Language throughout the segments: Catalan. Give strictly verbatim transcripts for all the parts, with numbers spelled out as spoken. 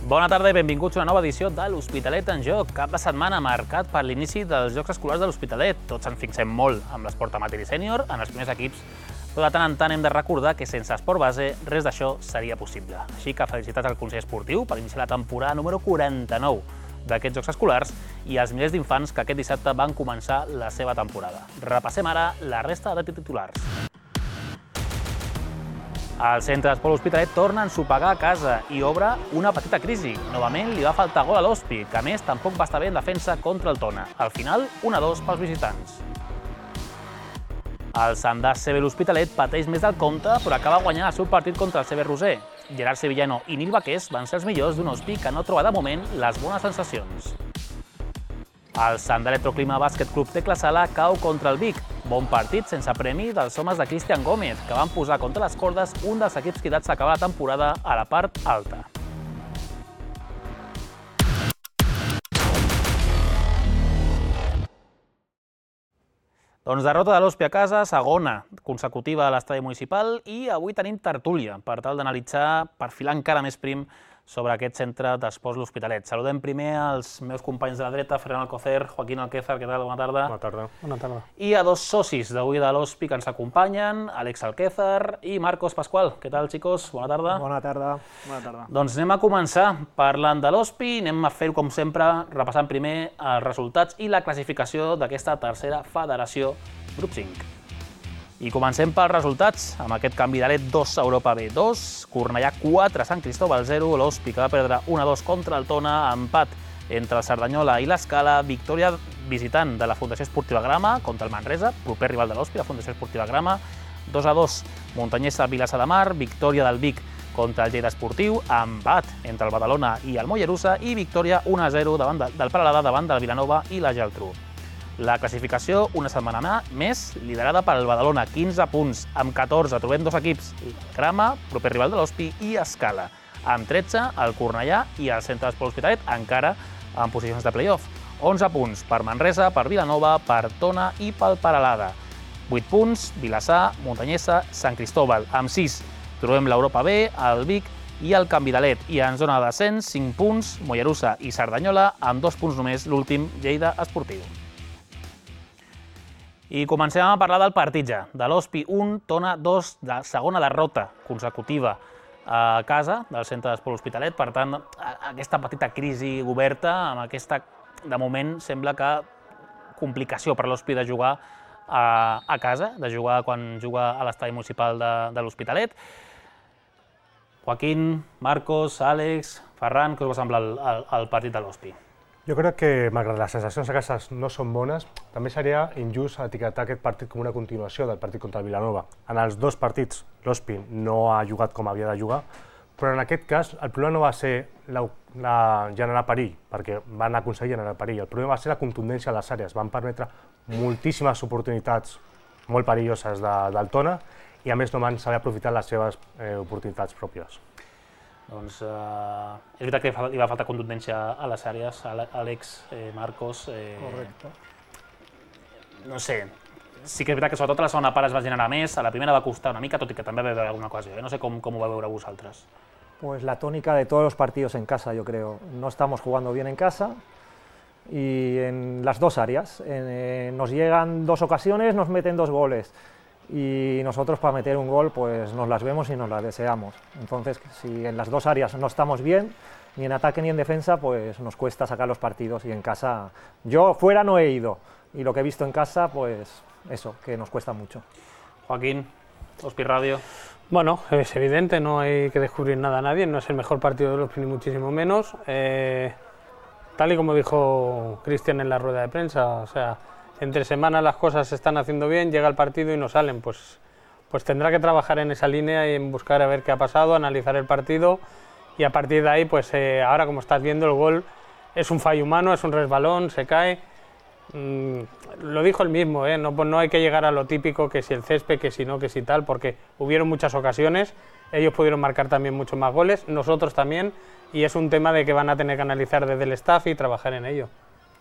Bona tarda i benvinguts a una nova edició de l'Hospitalet en Joc. Cap de setmana marcat per l'inici dels Jocs Escolars de l'Hospitalet. Tots ens fixem molt amb l'esport amateur i sènior, en els primers equips, però de tant en tant hem de recordar que sense esport base res d'això seria possible. Així que felicitats al Consell Esportiu per iniciar la temporada número quaranta-nou d'aquests Jocs Escolars i als milers d'infants que aquest dissabte van començar la seva temporada. Repassem ara la resta de titulars. El centre d'esport L'Hospitalet torna a ensopegar a casa i obre una petita crisi. Novament li va faltar gol a l'Hospi, que a més tampoc va estar bé en defensa contra el Tona. Al final, un a dos pels visitants. El Sandàs C B L'Hospitalet pateix més del compte, però acaba guanyant el seu partit contra el C B Roser. Gerard Sevillano i Nil Baqués van ser els millors d'un Hospi que no troba de moment les bones sensacions. El Sant Electroclima Bàsquet Club Tecla Sala cau contra el Vic. Bon partit sense premi dels homes de Cristian Gómez, que van posar contra les cordes un dels equips cridats a acabar la temporada a la part alta. Doncs derrota de l'Hospi a casa, segona consecutiva a l'estadi municipal, i avui tenim tertúlia per tal d'analitzar, perfilar encara més prim sobre aquest centre d'esports L'Hospitalet. Saludem primer als meus companys de la dreta, Ferran Alcocer, Joaquín Alquézar, què tal? Bona tarda. Bona tarda. Bona tarda. I a dos socis d'avui de l'Hospi que ens acompanyen, Àlex Alquézar i Marcos Pascual. Què tal, xicos? Bona tarda. Bona tarda. Bona tarda. Doncs anem a començar parlant de l'Hospi, anem a fer-ho com sempre, repassant primer els resultats i la classificació d'aquesta tercera federació grup cinc. I comencem pels resultats, amb aquest canvi de led dos a Europa B dos, Cornellà quatre, Sant Cristóbal zero, l'Hospi que va perdre un a dos contra el Tona, empat entre el Cerdanyola i l'Escala, victòria visitant de la Fundació Esportiva Grama contra el Manresa, proper rival de l'Hospi, la Fundació Esportiva Grama, dos a dos, Montanyesa Vilassar de Mar, victòria del Vic contra el Lleida Esportiu, empat entre el Badalona i el Mollerussa i victòria un a zero davant de, del Peralada davant del Vilanova i la Geltrú. La classificació, una setmana més, liderada pel Badalona, quinze punts, amb catorze trobem dos equips, Grama, proper rival de l'Hospi, i Escala. Amb tretze, el Cornellà i el centre d'esport L'Hospitalet, encara en posicions de play-off. onze punts per Manresa, per Vilanova, per Tona i pel Peralada. vuit punts, Vilassar, Montanyesa, Sant Cristóbal. Amb sis, trobem l'Europa B, el Vic i el Can Vidalet. I en zona de descens, cinc punts, Mollerussa i Cerdanyola, amb dos punts només, l'últim, Lleida Esportiu. I comencem a parlar del partit ja, de l'Hospi un, Tona dos, de segona derrota consecutiva a casa del centre d'esport L'Hospitalet. Per tant, aquesta petita crisi oberta, amb aquesta, de moment, sembla que complicació per l'Hospi de jugar a, a casa, de jugar quan juga a l'estadi municipal de, de l'Hospitalet. Joaquín, Marcos, Àlex, Ferran, què us va semblar el, el, el partit de l'Hospi? Jo crec que, malgrat les sensacions a casa no són bones, també seria injust etiquetar aquest partit com una continuació del partit contra el Vilanova. En els dos partits, l'Hospi no ha jugat com havia de jugar, però en aquest cas el problema no va ser la, la generar perill, perquè van aconseguir generar perill. El problema va ser la contundència a les àrees. Van permetre moltíssimes oportunitats molt perilloses de, del Tona i a més no van saber aprofitar les seves eh, oportunitats pròpies. Doncs eh, és veritat que li va faltar contundència a les àrees, Àlex, eh, Marcos... Eh, Correcte. No sé, sí que és veritat que sobretot a la segona part es va generar més, a la primera va costar una mica, tot i que també va haver alguna ocasió. Eh? No sé com, com ho va veure vosaltres. Pues la tónica de todos los partidos en casa, yo creo. No estamos jugando bien en casa y en las dos áreas. Eh, nos llegan dos ocasiones, nos meten dos goles. Y nosotros para meter un gol pues nos las vemos y nos las deseamos. Entonces, si en las dos áreas no estamos bien, ni en ataque ni en defensa, pues nos cuesta sacar los partidos. Y en casa, yo fuera no he ido, y lo que he visto en casa, pues eso, que nos cuesta mucho. Joaquín, Hospi Radio. Bueno, es evidente, no hay que descubrir nada a nadie, no es el mejor partido de los ni muchísimo menos. Eh, tal y como dijo Cristian en la rueda de prensa, o sea, entre semanas las cosas se están haciendo bien, llega el partido y no salen, pues, pues tendrá que trabajar en esa línea y en buscar a ver qué ha pasado, analizar el partido y a partir de ahí, pues eh, ahora como estás viendo el gol es un fallo humano, es un resbalón, se cae. Mm, lo dijo él mismo, ¿eh? no, pues no hay que llegar a lo típico que si el césped, que si no, que si tal, porque hubieron muchas ocasiones, ellos pudieron marcar también muchos más goles, nosotros también, y es un tema de que van a tener que analizar desde el staff y trabajar en ello.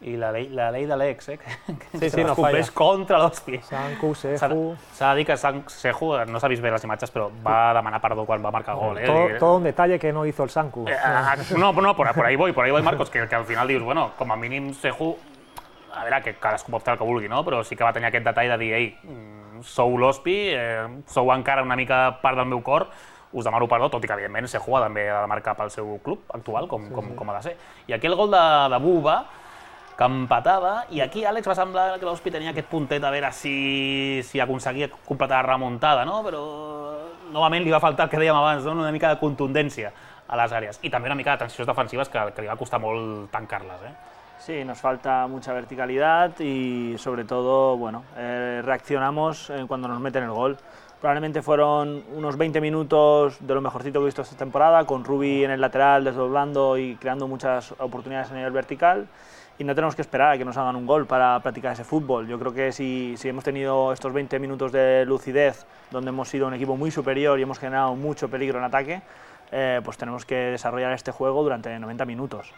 i la llei, la llei de l'ex, eh, que Sí, sí, es no compleix falla. contra l'Hospi. Sanku, S'ha Seju... s'ha de dir que San Seju, no s'ha vist bé les imatges, però va demanar perdó quan va marcar gol. Eh? Todo, Dir- todo un detalle que no hizo el Sanku. Eh, ah, no, no, por, por ahí voy, por ahí voy, Marcos, que, que al final dius, bueno, com a mínim Seju, a veure, que cadascú pot fer el que vulgui, no? Però sí que va tenir aquest detall de dir, ei, mm, sou l'Hospi, eh, sou encara una mica part del meu cor, us demano perdó, tot i que, evidentment, Seju també ha de marcar pel seu club actual, com, com, com ha de ser. I aquí el gol de, de Buba, que empatava, i aquí, Àlex, va semblar que l'Hospi tenia aquest puntet a veure si, si aconseguia completar la remuntada, no? Però novament li va faltar el que dèiem abans, no? Una mica de contundència a les àrees. I també una mica de transicions defensives que, que li va costar molt tancar-les. Eh? Sí, nos falta mucha verticalidad y sobre todo, bueno, eh, reaccionamos eh, cuando nos meten el gol. Probablemente fueron unos veinte minutos de lo mejorcito que he visto esta temporada, con Rubi en el lateral desdoblando y creando muchas oportunidades a nivel vertical. Y no tenemos que esperar a que nos hagan un gol para practicar ese fútbol. Yo creo que si, si hemos tenido estos veinte minutos de lucidez, donde hemos sido un equipo muy superior y hemos generado mucho peligro en ataque, eh, pues tenemos que desarrollar este juego durante noventa minutos.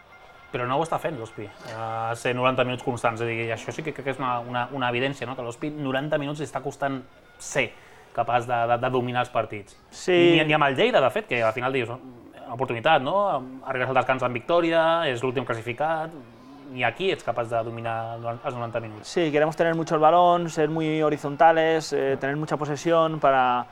Però no ho està fent l'Hospi, uh, ser noranta minuts constants. És a dir, això sí que crec que és una, una, una evidència, no? Que l'Hospi noranta minuts li està costant ser capaç de, de, de dominar els partits. Sí. I, ni amb el Lleida, de fet, que al final dius, oportunitat, no? Arribes al descans amb victòria, és l'últim classificat, ni aquí ets capaç de dominar els noranta minuts. Sí, queremos tener mucho el balón, ser muy horizontales, eh, tener mucha posesión para,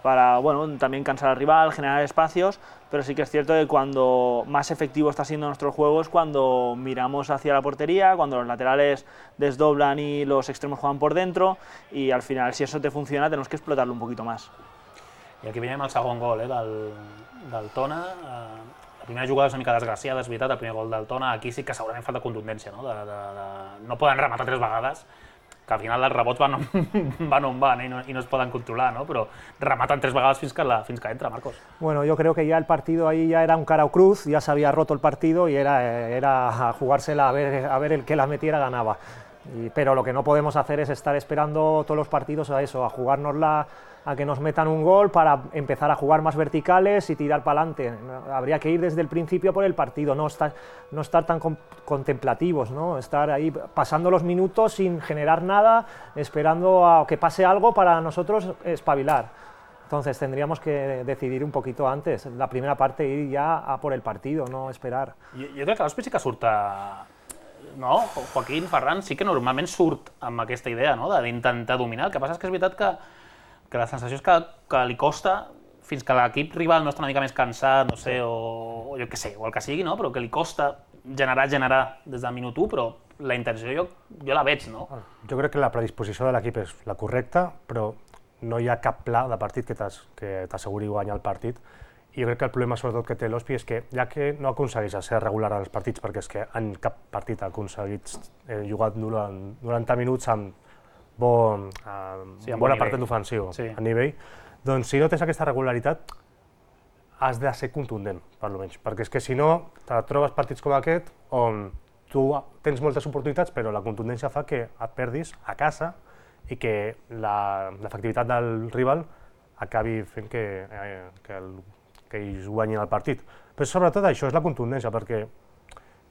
para bueno, también cansar al rival, generar espacios, pero sí que es cierto que cuando más efectivo está siendo nuestro juego es cuando miramos hacia la portería, cuando los laterales desdoblan y los extremos juegan por dentro, y al final, si eso te funciona, tenemos que explotarlo un poquito más. I aquí veiem el segon gol eh, del, del Tona. La primera jugada és una mica desgraciada, és veritat, el primer gol del Tona. Aquí sí que segurament falta contundència, no? De, de, de... no poden rematar tres vegades, que al final els rebots van on van, on van eh, i, no, i no es poden controlar, no? Però rematen tres vegades fins que, la, fins que entra, Marcos. Bueno, yo creo que ya el partido ahí ya era un cara o cruz, ya se había roto el partido y era, era jugársela a ver, a ver el que la metiera ganaba. Y, pero lo que no podemos hacer es estar esperando todos los partidos a eso, a jugárnosla, a que nos metan un gol para empezar a jugar más verticales y tirar para adelante. Habría que ir desde el principio por el partido, no estar, no estar tan con, contemplativos, ¿no? Estar ahí pasando los minutos sin generar nada, esperando a que pase algo para nosotros espabilar. Entonces tendríamos que decidir un poquito antes, la primera parte ir ya a por el partido, no esperar. Jo, jo crec que l'Hospi sí que surt a... No, Joaquín, Ferran, sí que normalment surt amb aquesta idea, no? D'intentar dominar. El que passa és que és veritat que, que la sensació és que, que li costa, fins que l'equip rival no està una mica més cansat, no sé, o, o jo què sé, o el que sigui, no? Però que li costa generar, generar des del minut u, però la intenció jo, jo la veig, no? Jo crec que la predisposició de l'equip és la correcta, però no hi ha cap pla de partit que t'as- que t'asseguri guanyar el partit. I jo crec que el problema sobretot que té l'Hospi és que ja que no aconsegueix ser regular en els partits, perquè és que en cap partit ha aconseguit eh, jugar durant noranta minuts amb, bon, amb Sí, amb bona bon part nivell. d'ofensiu, Sí. a nivell, doncs si no tens aquesta regularitat has de ser contundent, per almenys, perquè és que si no te trobes partits com aquest on tu tens moltes oportunitats però la contundència fa que et perdis a casa i que la- l'efectivitat del rival acabi fent que, eh, que, el, que ells guanyin el partit. Però sobretot això és la contundència, perquè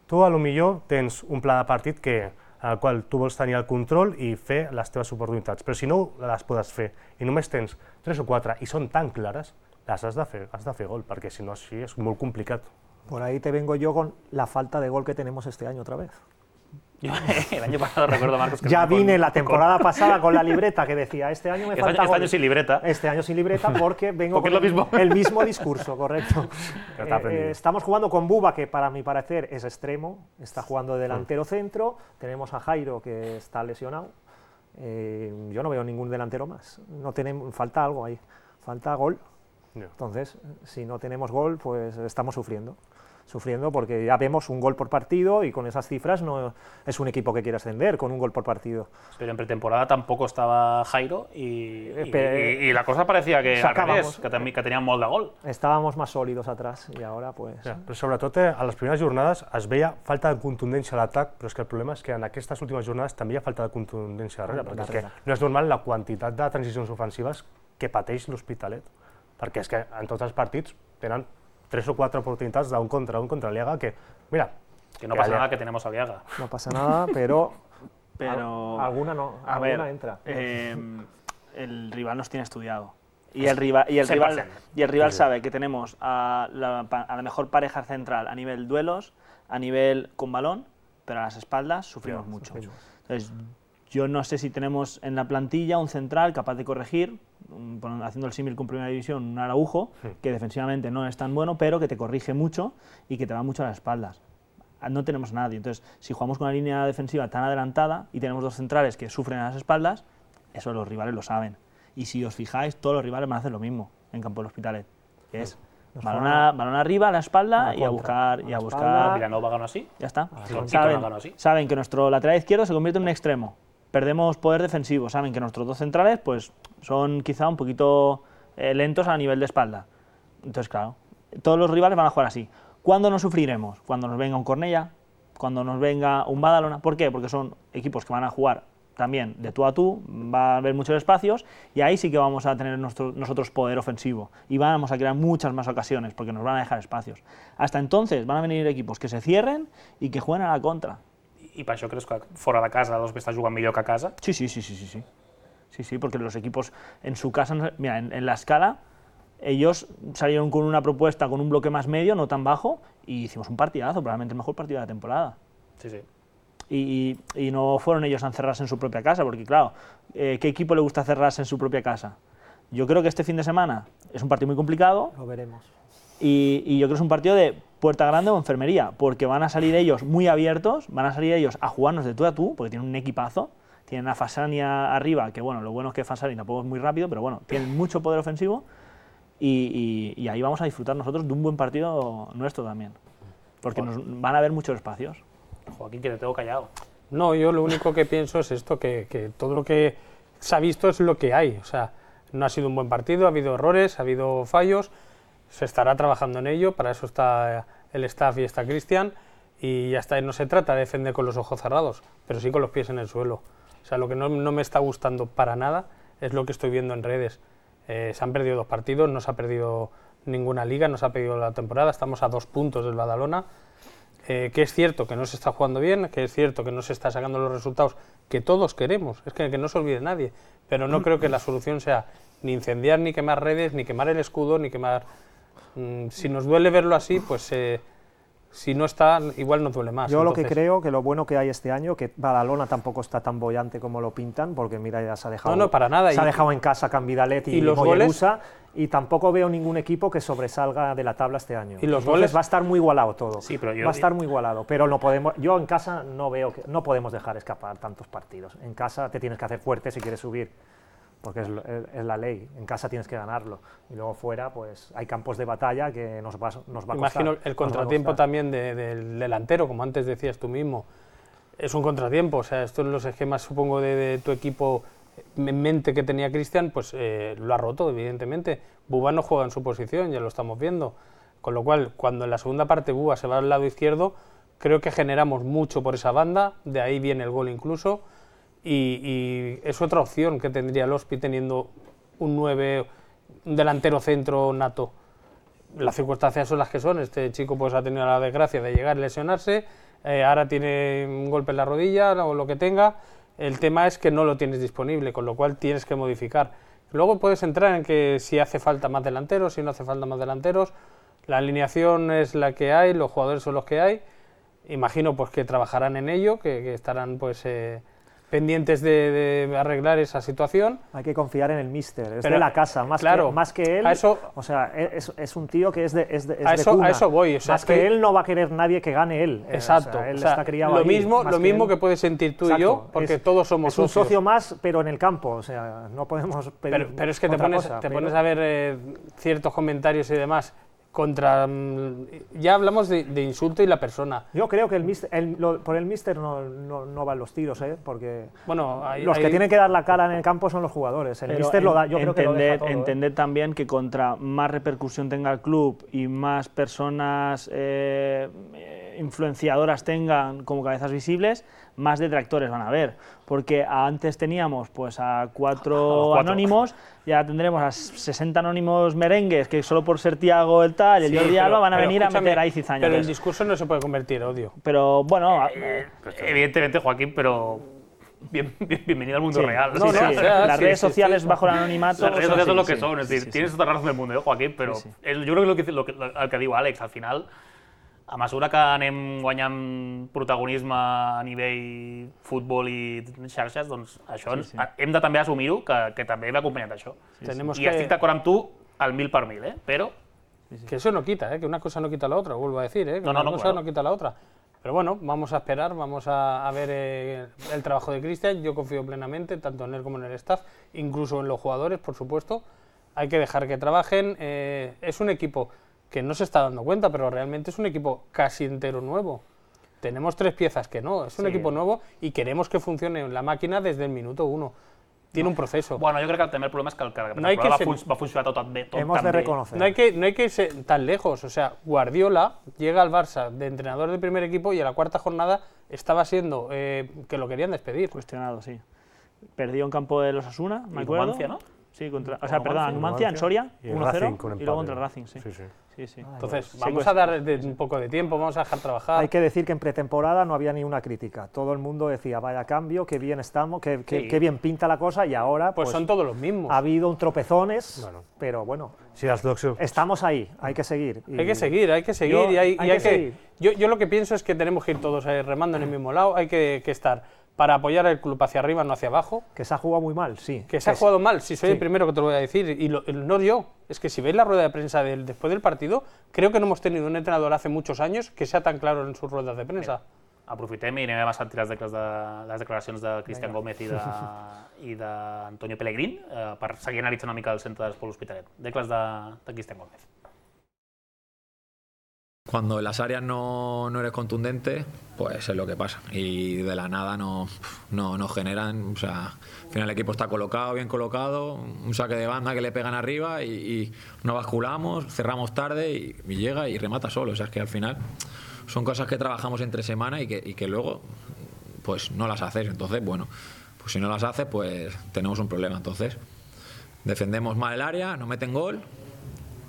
tu a lo millor tens un pla de partit que, en el qual tu vols tenir el control i fer les teves oportunitats, però si no les podes fer i només tens tres o quatre i són tan clares, les has de fer, has de fer gol, perquè si no així és molt complicat. Por ahí te vengo yo con la falta de gol que tenemos este año otra vez. Jo, el año pasado recuerdo, Marcos, que... Ya con- vine la con- temporada pasada con la libreta que decía, este año me Este falta año, este gol. año sin libreta. Este año sin libreta porque vengo Porque es lo con mismo. el mismo discurso, correcto. Ya te ha Eh, aprendido. eh, estamos jugando con Buba, que para mi parecer es extremo, está jugando de delantero centro, tenemos a Jairo, que está lesionado. Eh, yo no veo ningún delantero más, no tenemos, falta algo ahí, falta gol. Ja. Entonces, si no tenemos gol, pues estamos sufriendo. Sufriendo porque ya vemos un gol por partido y con esas cifras no es un equipo que quiere ascender con un gol por partido. Pero en pretemporada tampoco estaba Jairo y, y, Pero- y- y la cosa parecía que al Sacábamos. revés, que, també- que tenían molt de gol. Estábamos más sólidos atrás y ahora pues... Ja, però sobretot eh, a les primeres jornades es veia falta de contundència a l'atac, però és que el problema és que en aquestes últimes jornades també hi ha falta de contundència darrere, perquè és que Darrere. no és normal la quantitat de transicions ofensives que pateix l'Hospitalet, perquè és que en tots els partits tenen tres o quatre oportunitats d'un contra un contra l'Ega que, mira, Que no pasa nada que tenemos a Viaga. No pasa nada, pero, Pero, al- alguna no, a alguna ver, entra. eh, el rival nos tiene estudiado. Y el rival, y el cien por rival, cien. y el rival sabe que tenemos a la, pa- a la mejor pareja central a nivel duelos, a nivel con balón, pero a las espaldas sufrimos mucho. Entonces, yo no sé si tenemos en la plantilla un central capaz de corregir, un- pon- haciendo el símil con Primera División, un Araujo, que defensivamente no es tan bueno, pero que te corrige mucho y que te va mucho a las espaldas. No tenemos a nadie. Entonces, si jugamos con una línea defensiva tan adelantada y tenemos dos centrales que sufren a las espaldas, eso los rivales lo saben. Y si os fijáis, todos los rivales van a hacer lo mismo en Campo del Hospitalet, que es Nos balón, juegan a- balón arriba, a la espalda a la y a contra. buscar, A y la a espalda. buscar. Villanova ganó así. Ya está. Sí, sí, saben, pero no ganó así. saben que nuestro lateral izquierdo se convierte en un extremo. Perdemos poder defensivo. Saben que nuestros dos centrales pues, son quizá un poquito eh, lentos a nivel de espalda. Entonces, claro, todos los rivales van a jugar así. ¿Cuándo nos sufriremos? Cuando nos venga un Cornellá, cuando nos venga un Badalona. ¿Por qué? Porque son equipos que van a jugar también de tú a tú, va a haber muchos espacios y ahí sí que vamos a tener nuestro, nosotros poder ofensivo y vamos a crear muchas más ocasiones porque nos van a dejar espacios. Hasta entonces van a venir equipos que se cierren y que jueguen a la contra. I per això creus que fora de casa l'Ospi està jugant millor que a casa? Sí, sí, sí, sí, sí, sí. Sí, sí, porque los equipos en su casa, mira, en, en la escala, ellos salieron con una propuesta con un bloque más medio, no tan bajo, y hicimos un partidazo, probablemente el mejor partido de la temporada. Sí, sí. Y, y, y no fueron ellos a encerrarse en su propia casa, porque claro, eh, ¿qué equipo le gusta encerrarse en su propia casa? Yo creo que este fin de semana es un partido muy complicado Lo veremos. y, y yo creo que es un partido de puerta grande o enfermería, porque van a salir ellos muy abiertos, van a salir ellos a jugarnos de tú a tú, porque tienen un equipazo, tienen a Fasania arriba, que bueno, lo bueno es que Fasani tampoco es muy rápido, pero bueno, tienen mucho poder ofensivo y, y, y ahí vamos a disfrutar nosotros de un buen partido nuestro también, porque nos van a haber muchos espacios. Joaquín, que te tengo callado. No, yo lo único que pienso es esto, que, que todo lo que se ha visto es lo que hay. O sea, no ha sido un buen partido, ha habido errores, ha habido fallos, se estará trabajando en ello, para eso está el staff y está Cristian, y ya está, no se trata de defender con los ojos cerrados, pero sí con los pies en el suelo. O sea, lo que no, no me está gustando para nada es lo que estoy viendo en redes. Eh, se han perdido dos partidos, no se ha perdido ninguna liga, no se ha perdido la temporada, estamos a dos puntos del Badalona. Eh, que es cierto que no se está jugando bien, que es cierto que no se está sacando los resultados que todos queremos, es que, que no se olvide nadie, pero no creo que la solución sea ni incendiar, ni quemar redes, ni quemar el escudo, ni quemar... Mmm, si nos duele verlo así, pues eh, si no está, igual nos duele más. Yo entonces... lo que creo que lo bueno que hay este año, que Badalona tampoco está tan bollante como lo pintan, porque mira, ya se ha dejado, No, no, para nada. Se y, ha dejado en casa Cambidalet y, y los Mollerusa, goles... y tampoco veo ningún equipo que sobresalga de la tabla este año. Y los Entonces goles... va a estar muy igualado todo. Sí, pero yo... Va a estar muy igualado, pero no podemos, yo en casa no veo que no podemos dejar escapar tantos partidos. En casa te tienes que hacer fuerte si quieres subir, porque es, es, es la ley. En casa tienes que ganarlo y luego fuera pues hay campos de batalla que nos va, nos va a costar. Imagino el contratiempo también de, del delantero, como antes decías tú mismo. Es un contratiempo, o sea, esto en los esquemas supongo de, de tu equipo en mente que tenía Cristian, pues eh, lo ha roto, evidentemente. Buba no juega en su posición, ya lo estamos viendo. Con lo cual, cuando en la segunda parte Buba se va al lado izquierdo, creo que generamos mucho por esa banda, de ahí viene el gol incluso, y, y es otra opción que tendría el Ospi teniendo un nueve, un delantero centro nato. Las circunstancias son las que son, este chico pues ha tenido la desgracia de llegar a lesionarse, eh, ahora tiene un golpe en la rodilla o lo que tenga. El tema es que no lo tienes disponible, con lo cual tienes que modificar. Luego puedes entrar en que si hace falta más delanteros, si no hace falta más delanteros. La alineación es la que hay, los jugadores son los que hay. Imagino pues que trabajarán en ello, que, que estarán pues eh, pendientes de, de arreglar esa situación. Hay que confiar en el míster, es Pero, de la casa, más, claro, que, más que él. a eso, o sea, es, es un tío que es de, es de, es a, de eso, cuna. a eso voy. O sea, Más que, que él no va a querer nadie que gane él. Exacto. O sea, él o sea, está criado lo ahí, mismo, más lo mismo él. que puedes sentir tú Exacto, y yo, porque es, todos somos es un socios. socio más, pero en el campo. O sea, no podemos pedir Pero, pero es que te otra pones, cosa, te pero... pones a ver eh, ciertos comentarios y demás contra... Ya hablamos de, de insulto y la persona. Yo creo que el mister, el, lo, por el míster no, no, no van los tiros, ¿eh? Porque Bueno, hay, los hay... que tienen que dar la cara en el campo son los jugadores. El Pero míster lo da, yo entender, creo que lo deja todo, entender ¿eh? también que contra más repercusión tenga el club y más personas eh, influenciadoras tengan como cabezas visibles, más detractores van a haber. Porque antes teníamos pues a cuatro, cuatro. anónimos, ya tendremos a sesenta anónimos merengues que solo por ser Tiago el tal, el Sí, Jordi pero- Alba van a pero venir a escúchame, meter ahí cizaña. Pero el Pero, discurso no se puede convertir en odio. pero bueno, a- Evidentemente, Joaquín, pero bien, bien- bienvenido al mundo sí, real. sí, o sí, sea, o sea, las sí, redes sí, sociales sí. bajo el anonimato las redes son sociales son lo así, que sí, son, es sí, decir, sí, tienes sí. tota la razón del mundo, eh, Joaquín, però Sí, sí. el, jo crec que, el que, lo que, el que diu Àlex, al final, a mesura que anem guanyant protagonisme a nivell futbol i xarxes, doncs això Sí, sí, sí. sí. hem de també assumir-ho, que, que també ve acompanyat d'això. Tenemos I que... estic d'acord amb tu al mil per mil, eh? però Que eso no quita, ¿eh? Que una cosa no quita la otra, vuelvo a decir, ¿eh? Que No, no, una no, cosa claro. no quita la otra. Pero bueno, vamos a esperar, vamos a, a ver eh, el trabajo de Cristian. Yo confío plenamente, tanto en él como en el staff, incluso en los jugadores, por supuesto. Hay que dejar que trabajen. Eh, es un equipo que no se está dando cuenta, pero realmente es un equipo casi entero nuevo. Tenemos tres piezas que no, es un Sí. equipo nuevo y queremos que funcione la máquina desde el minuto uno. Tiene un proceso. bueno, jo crec que també el problema és que el, que la No hay que temporada va, ser- fun va funcionar tot bé, tot Hemos tan de bé. reconocer. No hay, que, no hay que irse tan lejos. O sea, Guardiola llega al Barça de entrenador de primer equipo y a la cuarta jornada estaba siendo eh, que lo querían despedir. Cuestionado, sí. Perdió en campo de los Asuna, me Y acuerdo. Numancia, ¿no? Sí, contra, o Con sea, perdón, Numancia. Numancia en Soria, Y el uno Racing cero, con y empate. luego contra el Racing, sí. Sí, sí. Sí, sí. Entonces, Sí, vamos pues- a dar de- un poco de tiempo, vamos a dejar trabajar. Hay que decir que en pretemporada no había ni una crítica. Todo el mundo decía, vaya cambio, qué bien estamos, qué, qué- Sí. qué bien pinta la cosa, y ahora pues, pues, son todos los mismos. ha habido un tropezones, Bueno. pero bueno, Sí, las dos... estamos ahí, hay que seguir. Y Hay que seguir, hay que seguir. Yo- y hay, hay y hay que que seguir. Yo, yo lo que pienso es que tenemos que ir todos eh, remando en el mismo lado, hay que, que estar para apoyar al club hacia arriba, no hacia abajo. Que se ha jugado muy mal, sí. Que se ha sí. jugado mal, si soy Sí. el primero que te lo voy a decir, y lo- no yo. Es que si veis la rueda de prensa del, después del partido, creo que no hemos tenido un entrenador hace muchos años que sea tan claro en sus ruedas de prensa. Aprofitem i anem a sentir les, declaracions de, les declaracions de Cristian Gómez i de- i d'Antonio Pellegrín eh, per seguir analitzant una mica el centre d'Esport L'Hospitalet. Decles de, de Cristian Gómez. Cuando en las áreas no, no eres contundente, pues es lo que pasa. Y de la nada no, no, no generan. O sea, al final el equipo está colocado, bien colocado, un saque de banda que le pegan arriba y, y no basculamos, cerramos tarde y, y llega y remata solo. O sea, es que al final son cosas que trabajamos entre semana y que, y que luego pues no las haces. Entonces, bueno, pues si no las haces, pues tenemos un problema. Entonces, defendemos mal el área, no meten gol.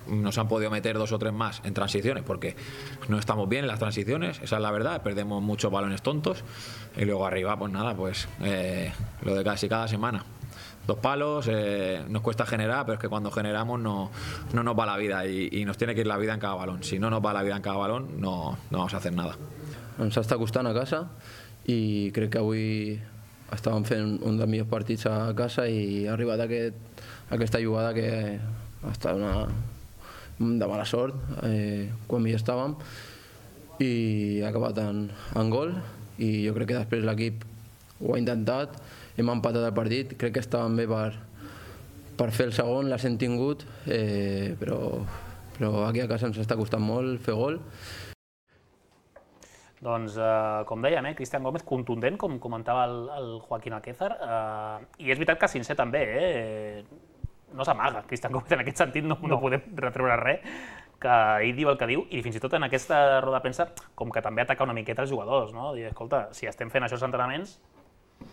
Nos han podido meter dos o tres más en transiciones porque no estamos bien en las transiciones, esa es la verdad, perdemos muchos balones tontos y luego arriba pues nada, pues eh, lo de casi cada semana. Dos palos, eh, nos cuesta generar, pero es que cuando generamos no, no nos va la vida y, y nos tiene que ir la vida en cada balón. Si no nos va la vida en cada balón no, no vamos a hacer nada. Ens està costant a casa i crec que avui estàvem fent un dels millors partits a casa i ha arribat aquest, aquesta jugada que ha estat una, de mala sort eh, quan hi estàvem i ha acabat en, en gol i jo crec que després l'equip ho ha intentat, hem empatat el partit, crec que estàvem bé per, per fer el segon, les hem tingut, eh, però, però aquí a casa ens està costant molt fer gol. Doncs, eh, com dèiem, eh, Cristian Gómez contundent, com comentava el, el Joaquín Alquézar, eh, i és veritat que sincer també, eh, no s'amaga Cristian Gómez en aquest sentit, no, no. no podem retreure res, que ell diu el que diu, i fins i tot en aquesta roda de premsa, com que també ataca una miqueta els jugadors, no? Dir, escolta, si estem fent això als entrenaments,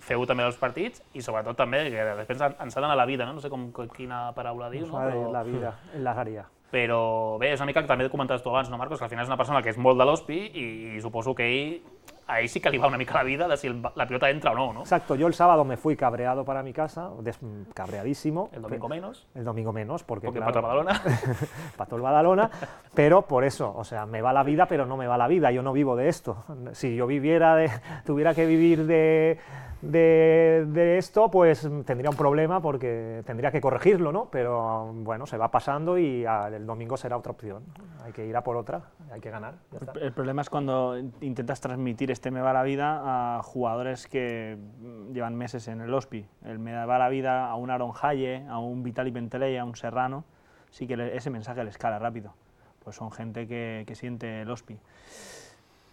feu-ho també als partits, i sobretot també, que després ens ha d'anar a la vida, no? No sé com, quina paraula diu, no? Pero... la vida en la área. Però bé, és una mica que també comentaves tu abans, no, Marcos? Que al final és una persona que és molt de l'Hospi i, i suposo que ell, a ell sí que li va una mica la vida de si el, la pilota entra o no, ¿no? Exacto, yo el sábado me fui cabreado para mi casa, des- cabreadísimo. El domingo menos, El domingo menos, porque, porque claro, para Badalona. para todo el Badalona, pero por eso, o sea, me va la vida, pero no me va la vida, yo no vivo de esto. Si yo viviera de, tuviera que vivir de, de, de esto, pues tendría un problema porque tendría que corregirlo, ¿no? Pero bueno, se va pasando y ah, el domingo será otra opción. Hay que ir a por otra, hay que ganar. Ya está. El problema es cuando intentas transmitir este me va la vida a jugadores que mm, llevan meses en el Hospi. El me va la vida a un Aaron Haye, a un Vitali Penteley, a un Serrano, sí que le- ese mensaje les cala rápido. Pues son gente que, que siente el Hospi.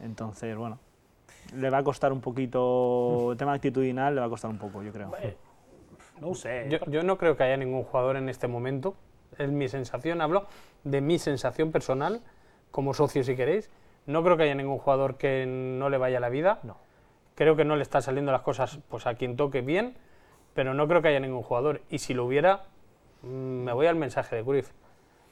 Entonces, bueno, le va a costar un poquito, el tema actitudinal le va a costar un poco, yo creo. No ho sé. Yo, yo no creo que haya ningún jugador en este momento, es mi sensación, hablo de mi sensación personal, como socio si queréis, No creo que haya ningún jugador que no le vaya la vida. No. Creo que no le están saliendo las cosas pues, a quien toque bien, pero no creo que haya ningún jugador. Y si lo hubiera, me voy al mensaje de Cruyff.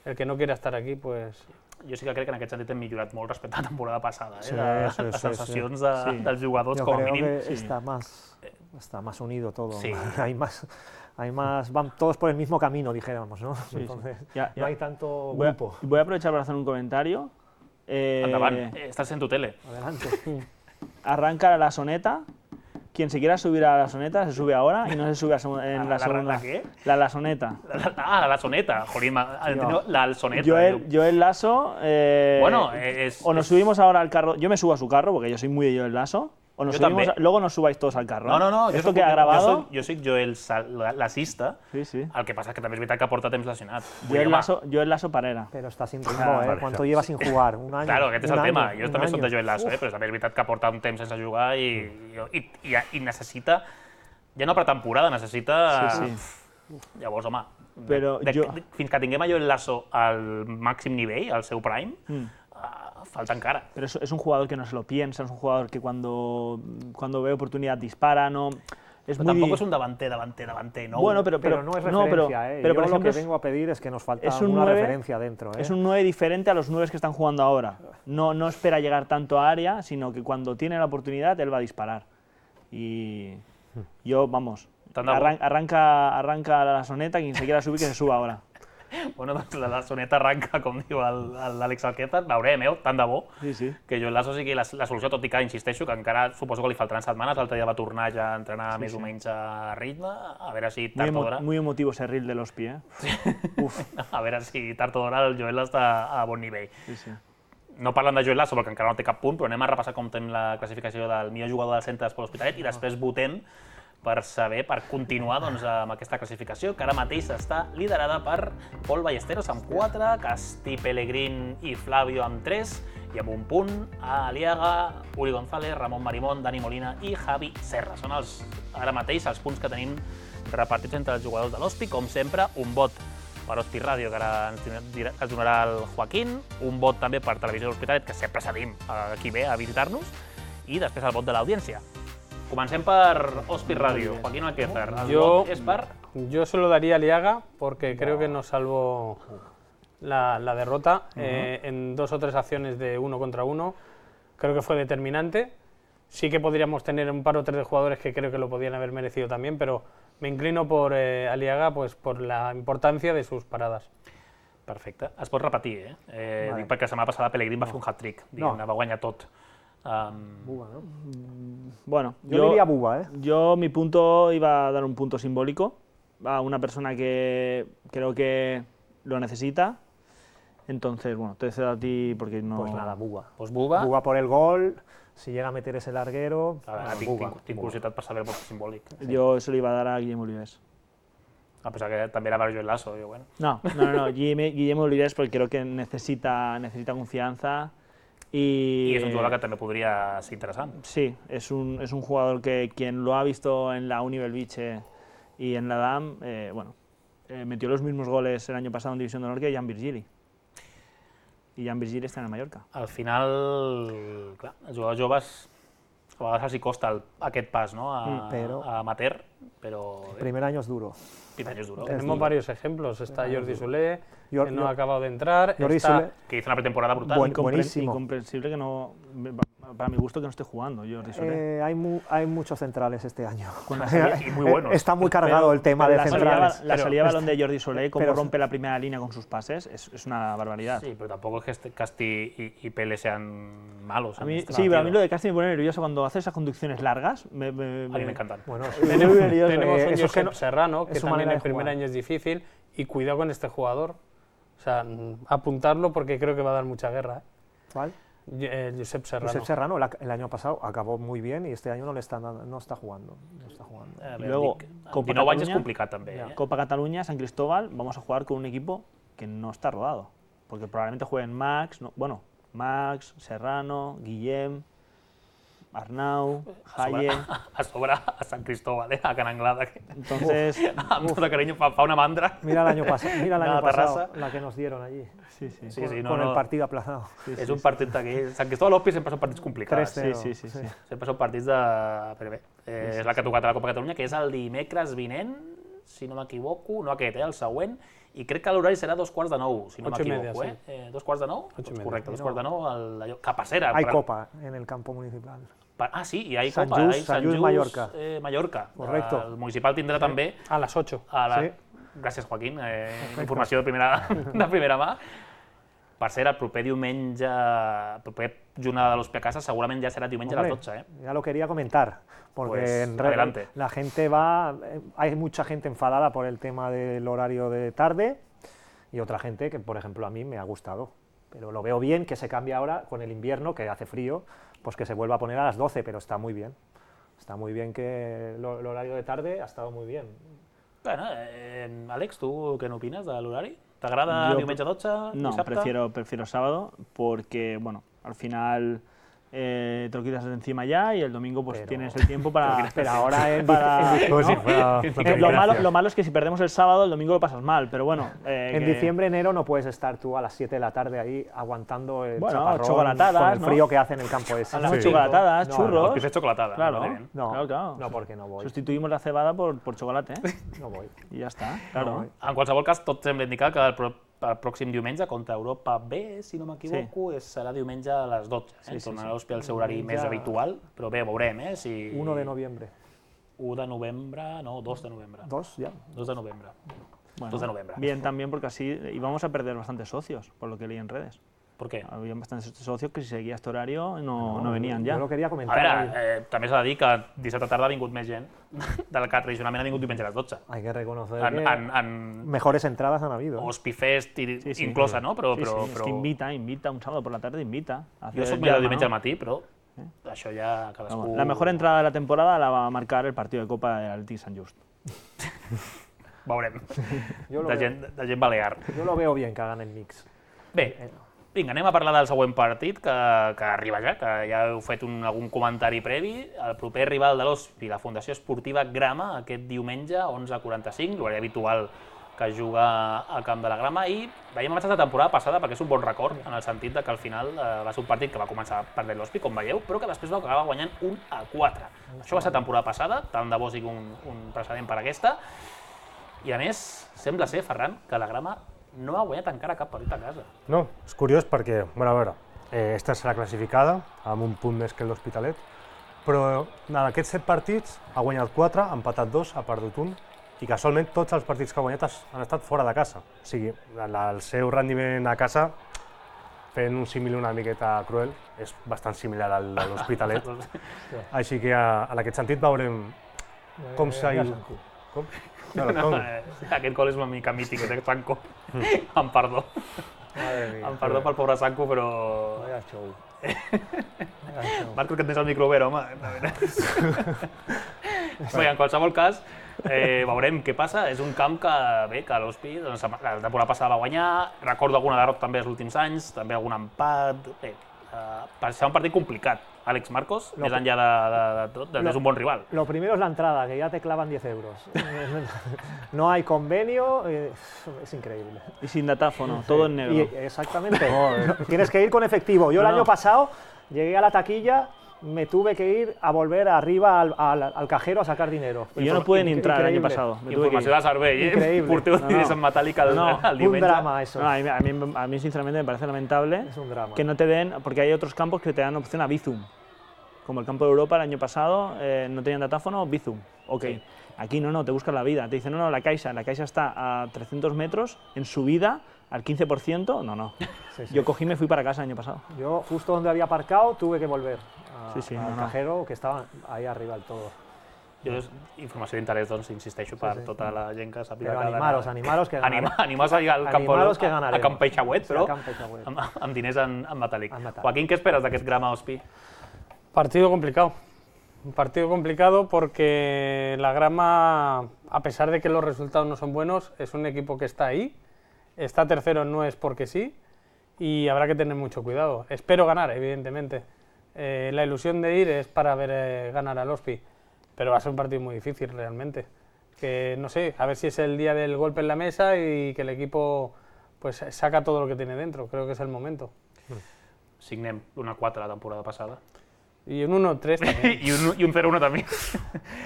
El que no quiera estar aquí, pues... Jo sí que crec que en aquest sentit hem millorat molt respecte a la temporada passada, eh? Sí, de, sí, les sí, sensacions sí. de, Sí. dels jugadors, Yo com a creo mínim. que está más, está más unido todo. Sí. hay más, hay más, van todos por el mismo camino, dijéramos, ¿no? sí. Entonces, Ya, ya. no hay tanto Voy a, grupo. voy a aprovechar para hacer un comentario. Eh, Endavant, eh, estàs en tu tele. Adelante. Arranca la soneta. Quien se quiera subir a la soneta se sube ahora y no se sube a segu- en ¿A la, la- segunda. la qué? La, la soneta. La, la, ah, la soneta, jolín, m'ha- entendido la soneta. Joel, Joel Lasso. eh, Bueno, es- o nos es- subimos ahora al carro. Yo me subo a su carro porque yo soy muy de Joel Lasso. O nos Yo subimos també. a- luego nos subáis todos al carro. No, no, no. Esto soc- que ha grabado. Jo soc, jo soc Joel Sal- la- l'assista. Sí, sí. El que passa és que també és veritat que porta temps lesionat. Vull dir, Joel home, Lasso, Joel Lasso Parera. Pero está sin ritmo, Ah, ¿eh? ¿Cuánto lleva sin jugar? Un año. Claro, aquest és un el tema. año, Jo un també soc año. de Joel Lasso, eh? però també és veritat que porta un temps sense jugar i, i, i, i necessita, ja no per temporada, necessita... Sí, sí. Llavors, home, Però de, jo- de, fins que tinguem a Joel Lasso al màxim nivell, al seu prime, Mm. uh, falta encara. Pero es, es un jugador que no se lo piensa, es un jugador que cuando, cuando ve oportunidad dispara, no. Es Però muy tampoc di- és un davanter, davanter, davanter, no? Bueno, pero, Pero, pero, no es no, referencia, pero, ¿eh? pero Yo por lo ejemplo, que vengo a pedir es que nos falta es un una nueve, referencia dentro, ¿eh? es un nueve diferente a los nueve que están jugando ahora. No, no espera llegar tanto a área, sino que cuando tiene la oportunidad él va a disparar. Y yo, vamos, Tant de bo. arran- arranca, arranca la soneta, quien se quiera subir que se suba ahora. Bueno, doncs la, la soneta arranca, com diu el- el- l'Àlex Alquezar, veurem, eh? Tant de bo. Sí, sí. Que Joel Lasso sigui la, la solució, tot i que, insisteixo, que encara suposo que li faltaran setmanes, l'altre dia va tornar ja a entrenar sí, més sí. o menys a ritme, a veure si Muy, tard o emo- d'hora... muy emotivo ese reel de los pies. A veure si tard o d'hora el Joel està a bon nivell. Sí, sí. No parlant de Joel Lasso perquè encara no té cap punt, però anem a repassar com tenim la classificació del millor jugador del centre d'Esport Hospitalet i després votem per saber, per continuar doncs, amb aquesta classificació, que ara mateix està liderada per Pol Ballesteros amb quatre, Castí Pellegrín i Flavio amb tres, i amb un punt a Aliaga, Uri González, Ramon Marimón, Dani Molina i Javi Serra. Són els, ara mateix els punts que tenim repartits entre els jugadors de l'Hospi. Com sempre, un vot per Hospi Ràdio, que ara ens, dirà- ens donarà el Joaquín, un vot també per Televisió de l'Hospitalet, que sempre cedim a qui ve a visitar-nos, i després el vot de l'audiència. Comencem per Hospi Ràdio. Joaquín Alquezar, el Yo, vot és per... yo se lo daría a Liaga porque creo que nos salvó la, la derrota eh, en dos o tres acciones de uno contra uno. Creo que fue determinante. Sí que podríamos tener un par o tres de jugadores que creo que lo podían haber merecido también, pero me inclino por eh, Aliaga pues, por la importancia de sus paradas. Perfecte. Es pot repetir, eh? eh Vale. Dic perquè la setmana passada Pellegrín va fer un hat-trick, diguem-ne, No. va guanyar tot. Um, Buba, ¿no? Bueno, Yo, diría Buba, ¿eh? Yo mi punto iba a dar un punto simbólico a una persona que creo que lo necesita. Entonces, bueno, te cedo a ti porque no... Pues nada, Buba. doncs Buba, Buba por el gol, si llega a meter ese larguero, a veure, bueno, tinc, Buba, tinc, tinc Buba. curiositat per saber el vot simbòlic. Yo se lo iba a dar a Guillermo Olives. A pesar que també era per Joel Lasso, jo, bueno. No, no, no, no, Guillem- Guillermo Olives porque creo que necesita, necesita confianza y... I és un jugador que també podria ser interessant. Sí, es un, es un jugador que quien lo ha visto en la Uni Belviche y en la D A M, eh, bueno, eh, metió los mismos goles el año pasado en División de Honor que Jan Virgili. I Jan Virgili està en el Mallorca. Al final, clar, els jugadors joves a vegades els hi costa el, aquest pas, no?, a, Mm, però- a amateur, però El primer año es duro. vint anys duro. Tenemos varios ejemplos. Está Jordi Soler, Jor- que no Jor- ha acabado de entrar. Jordi está, Soler- Que hizo una pretemporada brutal. Buen- Incompre- buenísimo. Incomprensible que no, para mi gusto, que no esté jugando Jordi Soler. Eh, hay, mu- hay muchos centrales este año. Con la salida- y muy buenos. Está muy cargado el tema Pero de la salida, centrales. la Pero- salida de balón de Jordi Soler, cómo pero- rompe la primera línea con sus pases, es, es una barbaridad. Sí, pero tampoco es que este Casti y, y Pele sean malos. A en mí, este sí, pero a mí sentido. lo de Casti me pone nervioso cuando hace esas conducciones largas. Me, me, A mí me encantan. Bueno, me pone muy nervioso. Tenemos Eh, un eso es que Josep no- Serrano, que es su también manera el de primer jugar. año es difícil, y cuidado con este jugador. O sea, mm, apuntarlo porque creo que va a dar mucha guerra. ¿eh? ¿cuál? Yo- eh, Josep Serrano. Josep Serrano el, el año pasado acabó muy bien y este año no le está dando- no está jugando. No está jugando. A Y veure, luego, dic, amb Copa dinou anys és Catalunya, complicat també. Eh? Copa Cataluña, San Cristóbal, vamos a jugar con un equipo que no está rodado. Porque probablemente jueguen Max, no, bueno, Max, Serrano, Guillem. Arnau, A sobre, Jaye... a sobre a Sant Cristóbal, eh? A Can Anglada. Que... Entonces... Amb tot el carinyo, fa, fa una mandra. Mira el año pasado, mira el Una año pasado, terrassa. la que nos dieron allí, Sí, sí. Sí, con, sí, no, con no. el partido aplazado. És un partit d'aquell... Sant Cristóbal Hopi sempre són partits complicats. tres cero. Sí, sí, sí, sí. Sempre són partits de... Però bé, eh, és la que ha tocat a la Copa Catalunya, que és el dimecres vinent, si no m'equivoco, no aquest, eh, el següent, i crec que l'horari serà dos quarts de nou, si no Ocho y m'equivoco, media, eh? eh? Dos quarts de nou? Ocho y Doncs media. correcte, dos quarts de nou, el, allò, Capacera. Hay per- copa en el campo municipal. per- ah, sí, i hi ha Sant Copa, Just, hi ha Sant Just, Mallorca. Eh, Mallorca. Correcto. El municipal tindrà també A las ocho. a la... Sí. Gràcies, Joaquín. Eh, informació de primera, de primera mà. Per cert, el proper diumenge, el proper jornada de l'Hospi a casa, segurament ja serà diumenge a les Hombre, dotze, eh? ya lo quería comentar, porque Pues, en re- adelante. la gente va, eh, hay mucha gente enfadada por el tema del horario de tarde y otra gente que, por ejemplo, a mí me ha gustado, pero lo veo bien que se cambie ahora con el invierno, que hace frío, pues que se vuelva a poner a las doce, pero está muy bien. Está muy bien que lo- el horario de tarde ha estado muy bien. Bueno, eh, Àlex, tu què n'opines de l'horari? T'agrada Jo- diumenge a dotze, No, dissabte? prefiero, prefiero sábado porque, bueno, al final eh, te lo quitas de encima ya y el domingo pues Pero- tienes el tiempo para... Pero ahora en, para- en- Como si ¿no? fuera una Eh, lo, democracia. malo, lo malo es que si perdemos el sábado, el domingo lo pasas mal, pero bueno... eh, en que- diciembre, enero no puedes estar tú a las siete de la tarde ahí aguantando el Bueno, chaparrón chocolatadas, con el ¿no? frío que hace en el campo ese. A las Sí. chocolatadas, No, churros... Els pizza xocolatada. Claro, me parece bien. No, claro, claro. no, porque no voy. Sustituimos la cebada por, por chocolate, ¿eh? No voy. Y ya está, claro. No voy. En qualsevol cas, tot sembla indicar que el, pro el pròxim diumenge contra Europa B, si no m'equivoco, sí. serà diumenge a les dotze. Eh? Sí, sí, Tornarà sí. l'Hospi al seu horari Diumenge... més habitual, però bé, veurem, eh? Si... uno de noviembre. u de novembre, no, dos de novembre. Dos, ya. dos de novembre. Bueno, dos de novembre. Bien también porque así íbamos a perder bastantes socios, por lo que leí en redes. Per què? Había bastantes socios que si seguía este horario no, no venían ya. Yo lo quería A comentar. veure, eh, també s'ha de dir que dissabte tarda ha vingut més gent del que tradicionalment ha vingut diumenge a les dotze. Hay que reconocer En, que en, en mejores entradas han habido. ¿eh? Hospi Fest i, Sí, sí. inclosa, no? Però, Sí, però, sí, però... es que invita, invita, un sábado por la tarde invita. a Jo hacer soc el més de llama, diumenge ¿no? al matí, però això ja cadascú... Vamos, la mejor entrada de la temporada la va a marcar el partido de Copa del Atleti Sant Just. Veurem. Jo lo De veo. gent, de gent balear. Yo lo veo bien que hagan el mix. Bé, vinga, anem a parlar del següent partit, que, que arriba ja, que ja heu fet un, algun comentari previ. El proper rival de l'Hospi, la Fundació Esportiva Grama, aquest diumenge, onze quaranta-cinc, l'horari habitual que juga al Camp de la Grama, i veiem matxes de temporada passada perquè és un bon record, en el sentit de que al final eh, va ser un partit que va començar perdent l'Hospi, com veieu, però que després va acabar guanyant un a quatre. Això va ser temporada passada, tant de bo sigui un, un precedent per aquesta, i a més, sembla ser, Ferran, que la Grama no ha guanyat encara cap partit a casa. No, és curiós perquè, bueno, a veure, eh, esta serà classificada, amb un punt més que l'Hospitalet, però en aquests set partits ha guanyat quatre, ha empatat dos, ha perdut un, i casualment tots els partits que ha guanyat has- han estat fora de casa. O sigui, la- el seu rendiment a casa, fent un símil una miqueta cruel, és bastant similar al de l'Hospitalet. Així que a- en aquest sentit veurem com s'ha ido. Com? Claro, com? Eh, Aquest gol és una mica mític, és de Sanco. Em perdó. Madre mía. Em perdó pel pobre Sanco, però... Vaya show. Marcos, que et tens el micro obert, home. Bé, en qualsevol cas, eh, veurem què passa. És un camp que, bé, que l'Hospi, doncs, la temporada passada va guanyar, recordo alguna derrota també els últims anys, també algun empat... Bé, eh, per ser un partit complicat. Àlex, Marcos, Lo més enllà de, de, de tot, de, Lo- és un bon rival. Lo primero es la entrada, que ya te clavan diez euros. No hay convenio, eh, es increíble. Y sin datáfono, todo en negro. Y, exactamente. Tienes que ir con efectivo. Yo No, el año no. pasado llegué a la taquilla, me tuve que ir a volver arriba al, al- al cajero a sacar dinero. Y yo no pude ni Incre- entrar el año increíble. pasado. Me tuve que Informació ir. de servei, eh? Increïble. Porteu No, diners no. en metàl·lic al, No, al Un diumenge. drama eso. No, a, mí, a, mí, a mí, sinceramente, me parece lamentable Es un drama. que no te den, porque hay otros campos que te dan opción a Bizum. Como el campo de Europa el año pasado, eh, no tenían datáfono, Bizum. Ok. Sí. Aquí no, no, te buscas la vida. Te dicen, no, no, la Caixa. La Caixa está a trescientos metros, en subida, al quince por ciento. No, no. Sí, sí. Yo cogí y me fui para casa el año pasado. Yo justo donde había aparcado tuve que volver a- Sí, sí, al no, no. cajero que estaba ahí arriba del todo. Jo, és informació d'interès, doncs, insisteixo, per sí. tota la gent que sàpiga Pero que... animaros, animaros que Anima, ganaremos. animaos a ir al campo, Animaros que a, a ganaremos. Camp Peixauet, Sí, però a Camp Peixauet. amb, amb diners en, en metàl·lic. En metàl·lic. Joaquín, què esperes d'aquest Grama Hospi? Partido complicado. Un partido complicado porque la Grama, a pesar de que los resultados no son buenos, es un equipo que está ahí. Está tercero no es porque sí y habrá que tener mucho cuidado. Espero ganar, evidentemente. eh, la ilusión de ir es para ver eh, ganar al Ospi, pero va a ser un partido muy difícil realmente. Que no sé, a ver si es el día del golpe en la mesa y que el equipo pues saca todo lo que tiene dentro, creo que es el momento. Signem una quatre la temporada passada. I un uno tres també. I un, i un zero uno també.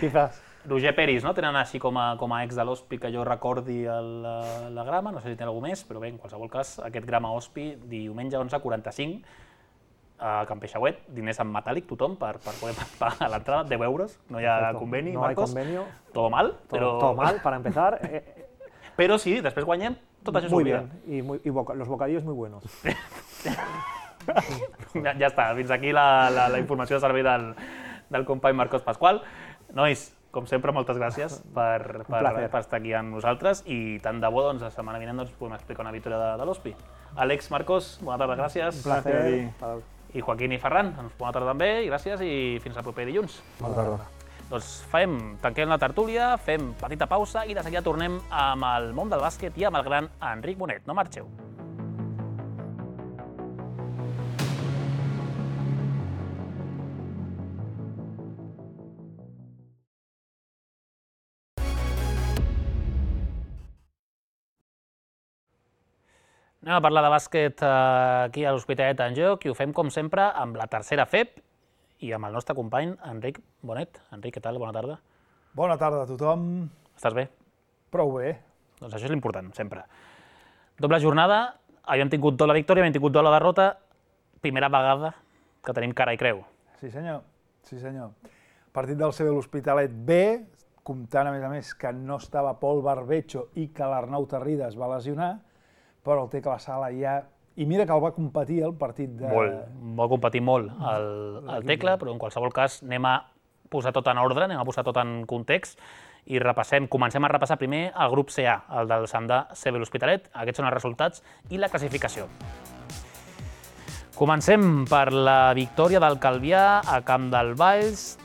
Quizás. Roger Peris, no? Tenen així com a, com a ex de l'Ospi que jo recordi el, la, la grama, no sé si té algú més, però bé, en qualsevol cas, aquest grama Ospi, diumenge onze quaranta-cinc, a Can Peixauet, diners en metàl·lic, tothom, per, per poder pagar l'entrada, deu euros, no hi ha Perfecto. conveni, No hay Marcos? convenio. Todo mal, Todo, però... todo mal, para empezar. Eh, Però sí, després guanyem, tot això muy s'oblida. bien, y, muy, y boca- los bocadillos muy buenos. Ja, ja està, fins aquí la, la, la informació de servei del, del company Marcos Pasqual. Nois, com sempre, moltes gràcies per, per, placer. per estar aquí amb nosaltres i tant de bo, doncs, la setmana vinent doncs, podem explicar una victòria de, de l'Ospi. Àlex, Marcos, bona tarda, gràcies. Un placer. para- I Joaquín i Ferran, doncs, bona tarda també, i gràcies i fins el proper dilluns. Bona tarda. Doncs fem, tanquem la tertúlia, fem petita pausa i de seguida tornem amb el món del bàsquet i amb el gran Enric Bonet. No marxeu. Anem a parlar de bàsquet eh, aquí a l'Hospitalet en Joc i ho fem, com sempre, amb la tercera F E P i amb el nostre company Enric Bonet. Enric, què tal? Bona tarda. Bona tarda a tothom. Estàs bé? Prou bé. Doncs això és l'important, sempre. Doble jornada, havíem tingut tot la victòria, havíem tingut tot la derrota, primera vegada que tenim cara i creu. Sí, senyor. Sí, senyor. Partit del C B l'Hospitalet B, comptant, a més a més, que no estava Pol Barbecho i que l'Arnau Tarrida es va lesionar, però el té que la sala ja... I mira que el va competir el partit de... Molt, va competir molt el, el Tecla, però en qualsevol cas anem a posar tot en ordre, anem a posar tot en context i repassem, comencem a repassar primer el grup C A, el del Sandà C B l'Hospitalet. Aquests són els resultats i la classificació. Comencem per la victòria del Calvià a Camp del Valls.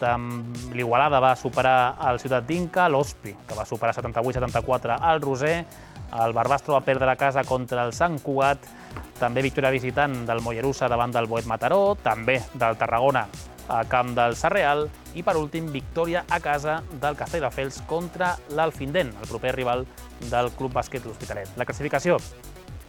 L'Igualada va superar el Ciutat d'Inca, l'Ospi, que va superar setanta-vuit setanta-quatre al Roser. El Barbastro va perdre a casa contra el Sant Cugat. També victòria visitant del Mollerussa davant del Boet Mataró, també del Tarragona a Camp del Sarreal i, per últim, victòria a casa del Castelldefels contra l'Alfindent, el proper rival del Club Bàsquet L'Hospitalet. La classificació: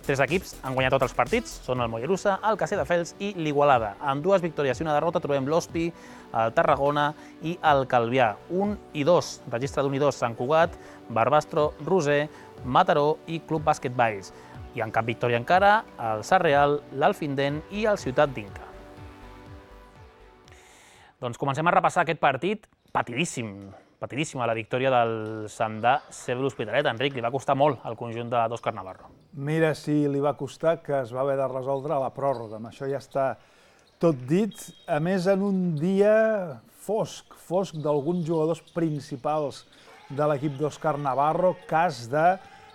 tres equips han guanyat tots els partits, són el Mollerussa, el Castelldefels i l'Igualada. Amb dues victòries i una derrota trobem l'Ospi, el Tarragona i el Calvià. Un i dos, registre d'un i dos, Sant Cugat, Barbastro, Roser, Mataró i Club Bàsquet Valls. I en cap victòria encara, el Sarreal, l'Alfindent i el Ciutat d'Inca. Doncs comencem a repassar aquest partit patidíssim, patidíssima la victòria del Sandà C B l'Hospitalet. Enric, li va costar molt al conjunt d'Òscar Navarro. Mira si li va costar, que es va haver de resoldre a la pròrroga. Amb això ja està tot dit. A més, en un dia fosc, fosc d'alguns jugadors principals de l'equip d'Òscar Navarro, cas de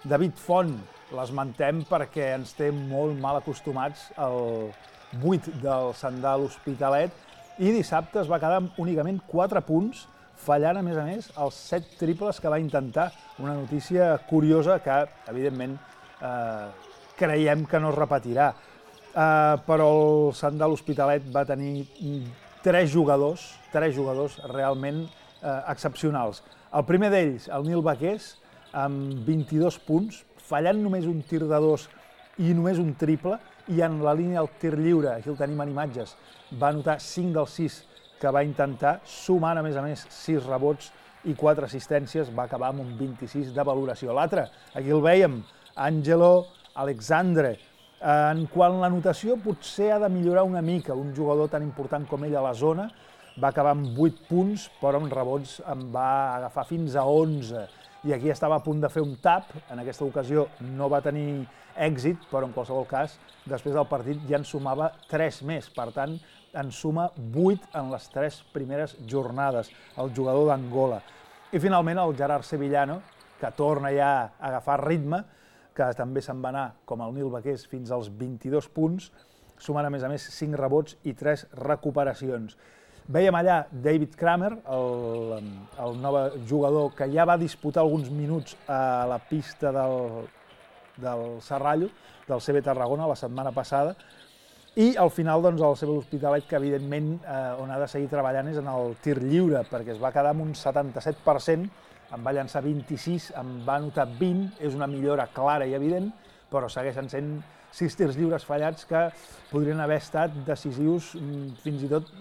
David Font. L'esmentem perquè ens té molt mal acostumats al vuit del Sandà l'Hospitalet i dissabte es va quedar amb únicament quatre punts, fallant, a més a més, els set triples que va intentar. Una notícia curiosa que, evidentment, eh, creiem que no es repetirà. Eh, però el Sandà l'Hospitalet va tenir tres jugadors, tres jugadors realment eh, excepcionals. El primer d'ells, el Nil Baqués, amb vint-i-dos punts, fallant només un tir de dos i només un triple, i en la línia del tir lliure, aquí el tenim en imatges, va anotar cinc dels sis que va intentar, sumant a més a més sis rebots i quatre assistències, va acabar amb un vint-i-sis de valoració. L'altre, aquí el vèiem, Angelo Alexandre. En quant a la notació, potser ha de millorar una mica, un jugador tan important com ell a la zona, va acabar amb vuit punts, però amb rebots en va agafar fins a onze. I aquí estava a punt de fer un tap, en aquesta ocasió no va tenir èxit, però en qualsevol cas, després del partit ja en sumava tres més, per tant, en suma vuit en les tres primeres jornades, el jugador d'Angola. I finalment el Gerard Sevillano, que torna ja a agafar ritme, que també se'n va anar, com el Nil Baqués, fins als vint-i-dos punts, sumant a més a més cinc rebots i tres recuperacions. Vèiem allà David Kramer, el, el nou jugador que ja va disputar alguns minuts a la pista del, del Serrallo, del C B Tarragona, la setmana passada, I al final, doncs, el C B l'Hospitalet, que evidentment on ha de seguir treballant és en el tir lliure, perquè es va quedar amb un setanta-set per cent, en va llançar vint-i-sis, en va anotar vint, és una millora clara i evident, però segueixen sent sis tirs lliures fallats que podrien haver estat decisius fins i tot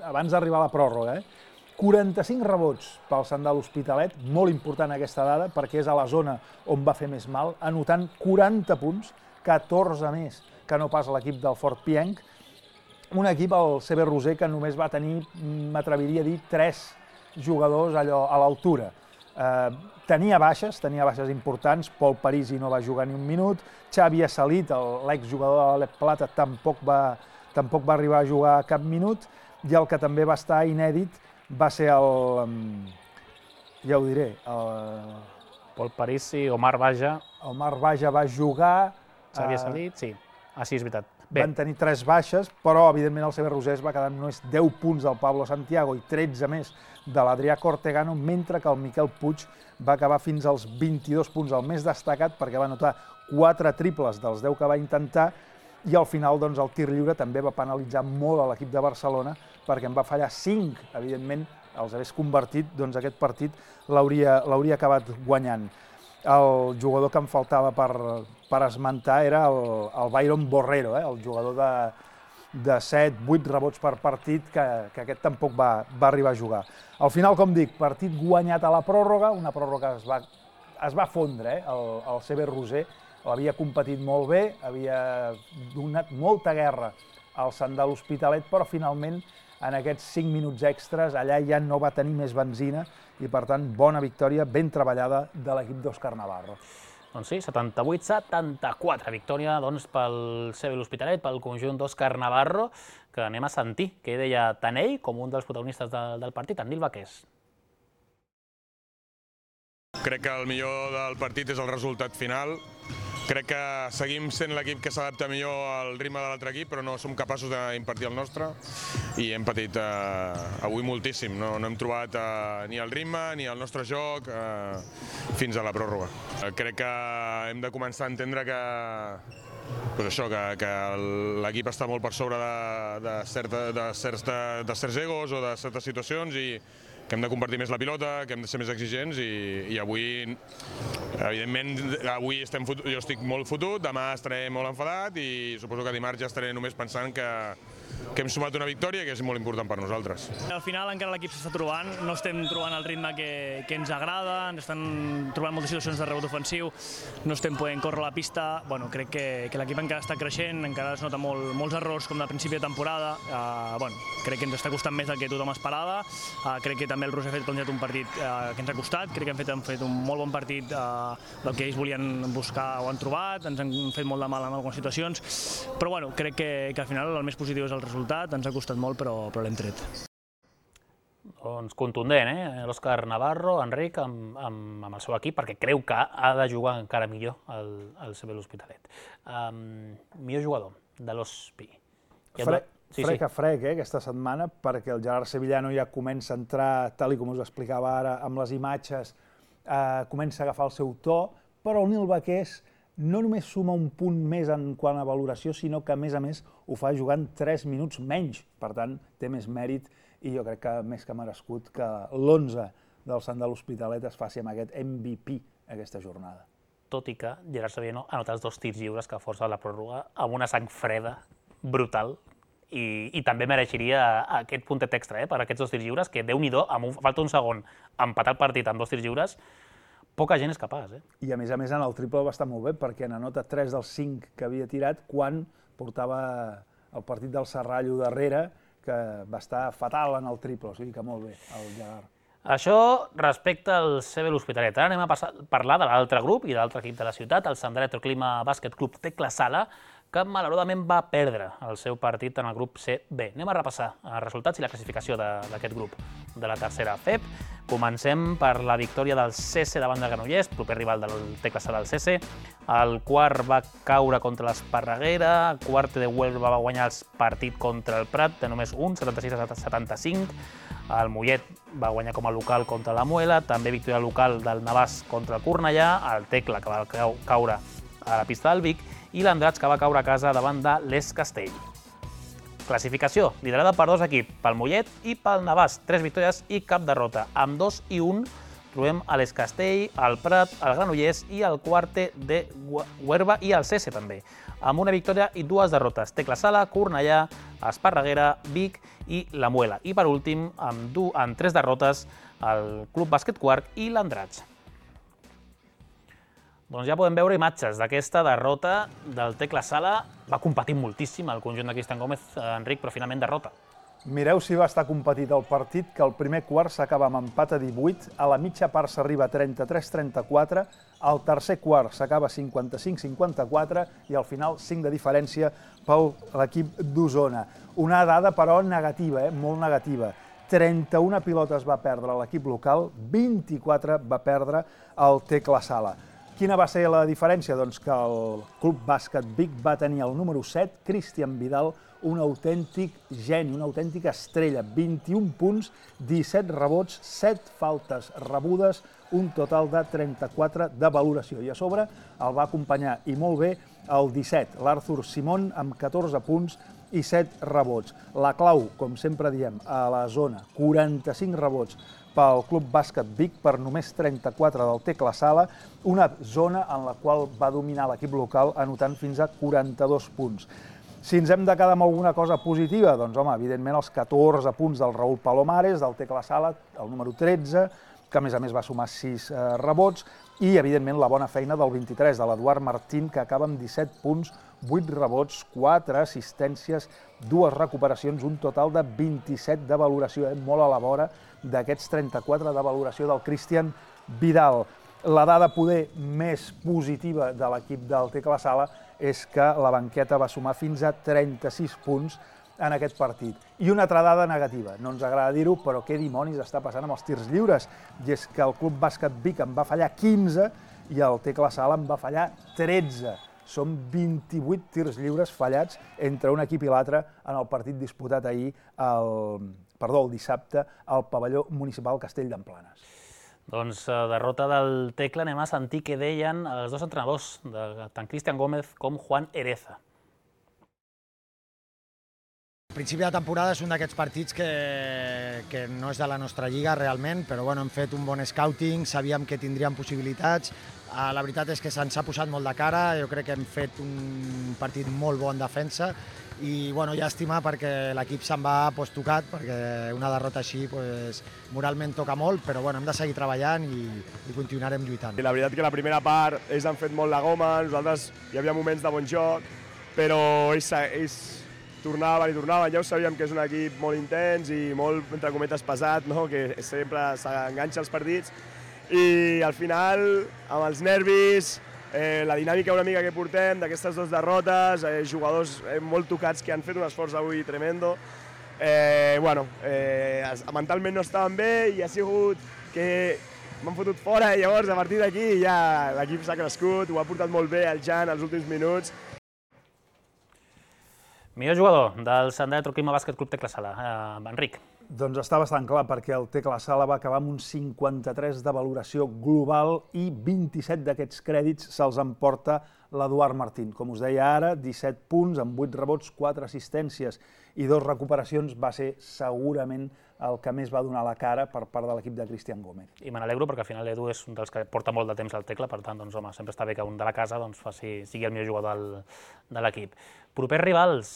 abans d'arribar a la pròrroga. quaranta-cinc rebots pel Sant de l'Hospitalet, molt important aquesta dada, perquè és a la zona on va fer més mal, anotant quaranta punts, catorze més que no pas l'equip del Fort Pienc. Un equip, el C B Roser, que només va tenir, m'atreviria a dir, tres jugadors allò a l'altura. Eh, tenia baixes, tenia baixes importants, Pol Parisi no va jugar ni un minut, Xavi Assalit, l'exjugador de l'Alep Plata, tampoc va, tampoc va arribar a jugar cap minut, i el que també va estar inèdit va ser el... ja ho diré, el... Pol Parisi, Omar Baja... Omar Baja va jugar... Xavi Assalit, sí. Ah, sí, és veritat. Bé. Van tenir tres baixes, però evidentment el C B Roser es va quedar només deu punts del Pablo Santiago i tretze més de l'Adrià Cortegano, mentre que el Miquel Puig va acabar fins als vint-i-dos punts, el més destacat, perquè va anotar quatre triples dels deu que va intentar, i al final doncs, el tir lliure també va penalitzar molt a l'equip de Barcelona, perquè en va fallar cinc, evidentment, els hagués convertit, doncs aquest partit l'hauria acabat guanyant. El jugador que em faltava per, per esmentar era el, el Byron Borrero, eh? el jugador de, de set vuit rebots per partit, que, que aquest tampoc va, va arribar a jugar. Al final, com dic, partit guanyat a la pròrroga, una pròrroga que es va, es va fondre, eh? el, el C B Roser havia competit molt bé, havia donat molta guerra al Sant de l'Hospitalet, però finalment en aquests cinc minuts extras allà ja no va tenir més benzina i, per tant, bona victòria, ben treballada de l'equip d'Òscar Navarro. Doncs sí, setanta-vuit setanta-quatre, victòria doncs, pel C B l'Hospitalet, pel conjunt d'Òscar Navarro, que anem a sentir què deia tant ell com un dels protagonistes de, del partit, en Nil Baqués. Crec que el millor del partit és el resultat final. Crec que seguim sent l'equip que s'adapta millor al ritme de l'altre equip, però no som capaços d'impartir el nostre i hem patit eh, avui moltíssim. No, no hem trobat eh, ni el ritme ni el nostre joc eh, fins a la pròrroga. Eh, crec que hem de començar a entendre que, pues això, que, que l'equip està molt per sobre de, de, certa, de, certs, de, de certs egos o de certes situacions i que hem de compartir més la pilota, que hem de ser més exigents i, i avui, evidentment, avui estem fotut, jo estic molt fotut, demà estaré molt enfadat i suposo que dimarts ja estaré només pensant que, que hem sumat una victòria que és molt important per nosaltres. Al final encara l'equip s'està trobant, no estem trobant el ritme que, que ens agrada, ens estan trobant moltes situacions de rebot ofensiu, no estem podent córrer la pista, bueno, crec que, que l'equip encara està creixent, encara es nota molt, molts errors com de principi de temporada, uh, bueno, crec que ens està costant més del que tothom esperava, uh, crec que també el Roser ha fet plantejat un partit uh, que ens ha costat, crec que han fet, han fet un molt bon partit uh, del que ells volien buscar o han trobat, ens han fet molt de mal en algunes situacions, però bueno, crec que, que al final el més positiu és el resultat, ens ha costat molt però, però l'hem tret. Doncs contundent, eh? L'Òscar Navarro, Enric, amb, amb, amb el seu equip, perquè creu que ha de jugar encara millor el, el C B l'Hospitalet. Um, millor jugador de l'Hospi. Fre sí, frec a frec, eh, aquesta setmana, perquè el Gerard Sevillano ja comença a entrar, tal com us explicava ara, amb les imatges, eh, comença a agafar el seu to, però el Nil Baqués no només suma un punt més en quant a valoració, sinó que, a més a més, ho fa jugant tres minuts menys. Per tant, té més mèrit i jo crec que més que merescut que l'onze del Sant de l'Hospitalet es faci amb aquest M V P aquesta jornada. Tot i que Gerard Sevillano ha anotat els dos tirs lliures que força la pròrroga amb una sang freda brutal i, i també mereixeria aquest puntet extra eh, per aquests dos tirs lliures, que Déu-n'hi-do, falta un segon, empatar el partit amb dos tirs lliures, poca gent és capaç. Eh? I a més a més en el triple va estar molt bé perquè n'anota tres dels cinc que havia tirat quan portava el partit del Serrallo darrere, que va estar fatal en el triple, o sigui que molt bé el Gerard. Això respecte al C B l'Hospitalet. Ara anem a passar, parlar de l'altre grup i de l'altre equip de la ciutat, el Sant Electroclima Bàsquet Club Tecla Sala, que malauradament va perdre el seu partit en el grup C B. Anem a repassar els resultats i la classificació d'aquest grup de la tercera F E P. Comencem per la victòria del C C davant de Granollers, proper rival del Tecla Sala del C C. El quart va caure contra l'Esparreguera, el quart de Huelva va guanyar el partit contra el Prat de només un, setanta-sis a setanta-cinc. El Mollet va guanyar com a local contra la Muela, també victòria local del Navàs contra el Cornellà, el Tecla que va caure a la pista del Vic i l'Andrats que va caure a casa davant de l'Es Castell. Classificació, liderada per dos equips, pel Mollet i pel Navàs, tres victòries i cap derrota. Amb dos i un trobem a l'Escastell, el Prat, el Granollers i el Quarte de Huerva i el Cese també, amb una victòria i dues derrotes. Tecla Sala, Cornellà, Esparreguera, Vic i la Muela. I per últim, amb, du, amb tres derrotes, el Club Bàsquet Quart i l'Andratx. Doncs ja podem veure imatges d'aquesta derrota del Tecla Sala. Va competir moltíssim el conjunt de Cristian Gómez, Enric, però finalment derrota. Mireu si va estar competit el partit, que el primer quart s'acaba amb empat a divuit, a la mitja part s'arriba a trenta-tres a trenta-quatre, al tercer quart s'acaba cinquanta-cinc a cinquanta-quatre i al final cinc de diferència per l'equip d'Osona. Una dada, però, negativa, eh? molt negativa. trenta-una pilotes va perdre l'equip local, vint-i-quatre va perdre el Tecla Sala. Quina va ser la diferència? Doncs que el Club Bàsquet Vic va tenir el número set, Cristian Vidal, un autèntic geni, una autèntica estrella, vint-i-un punts, disset rebots, set faltes rebudes, un total de trenta-quatre de valoració. I a sobre el va acompanyar, i molt bé, el disset, l'Arthur Simón, amb catorze punts i set rebots. La clau, com sempre diem, a la zona, quaranta-cinc rebots pel Club Bàsquet Vic per només trenta-quatre del Tecla Sala, una zona en la qual va dominar l'equip local anotant fins a quaranta-dos punts. Si ens hem de quedar amb alguna cosa positiva, doncs, home, evidentment els catorze punts del Raúl Palomares, del Tecla Sala, el número tretze, que a més a més va sumar sis eh, rebots, i evidentment la bona feina del vint-i-tres, de l'Eduard Martín, que acaba amb disset punts, vuit rebots, quatre assistències, dues recuperacions, un total de vint-i-set de valoració, eh? molt a la vora d'aquests trenta-quatre de valoració del Cristian Vidal. La dada poder més positiva de l'equip del Tecla Sala és que la banqueta va sumar fins a trenta-sis punts en aquest partit. I una altra dada negativa, no ens agrada dir-ho, però què dimonis està passant amb els tirs lliures? I és que el Club Bàsquet Vic en va fallar quinze i el Tecla Sala en va fallar tretze. Són vint-i-vuit tirs lliures fallats entre un equip i l'altre en el partit disputat ahir, el, perdó, el dissabte, al pavelló municipal Castell d'Emplanes. Doncs derrota del Tecla, anem a sentir què deien els dos entrenadors, tant Cristian Gómez com Juan Ereza. El principi de temporada és un d'aquests partits que, que no és de la nostra lliga realment, però bueno, hem fet un bon scouting, sabíem que tindríem possibilitats. La veritat és que se'ns ha posat molt de cara, jo crec que hem fet un partit molt bo en defensa i bueno, llàstima perquè l'equip se'n va pues, tocat, perquè una derrota així pues, moralment toca molt, però bueno, hem de seguir treballant i, i continuarem lluitant. La veritat que la primera part ells han fet molt la goma, nosaltres hi havia moments de bon joc, però ells, ells tornaven i tornaven, ja ho sabíem que és un equip molt intens i molt, entre cometes, pesat, no? Que sempre s'enganxa als partits i al final, amb els nervis, eh, la dinàmica una mica que portem d'aquestes dues derrotes, eh, jugadors eh, molt tocats que han fet un esforç avui tremendo, eh, bueno, eh, mentalment no estaven bé i ha sigut que m'han fotut fora i llavors a partir d'aquí ja l'equip s'ha crescut, ho ha portat molt bé el Jan els últims minuts. Millor jugador del Sandà de Troquima Bàsquet Club Tecla Sala, eh, Enric. Doncs està bastant clar, perquè el Tecla Sala va acabar amb un cinquanta-tres de valoració global i vint-i-set d'aquests crèdits se'ls emporta l'Eduard Martín. Com us deia ara, disset punts, amb vuit rebots, quatre assistències i dues recuperacions, va ser segurament el que més va donar la cara per part de l'equip de Cristian Gómez. I me n'alegro perquè al final l'Edu és un dels que porta molt de temps al Tecla, per tant, doncs, home, sempre està bé que un de la casa doncs, faci, sigui el millor jugador del, de l'equip. Propers rivals,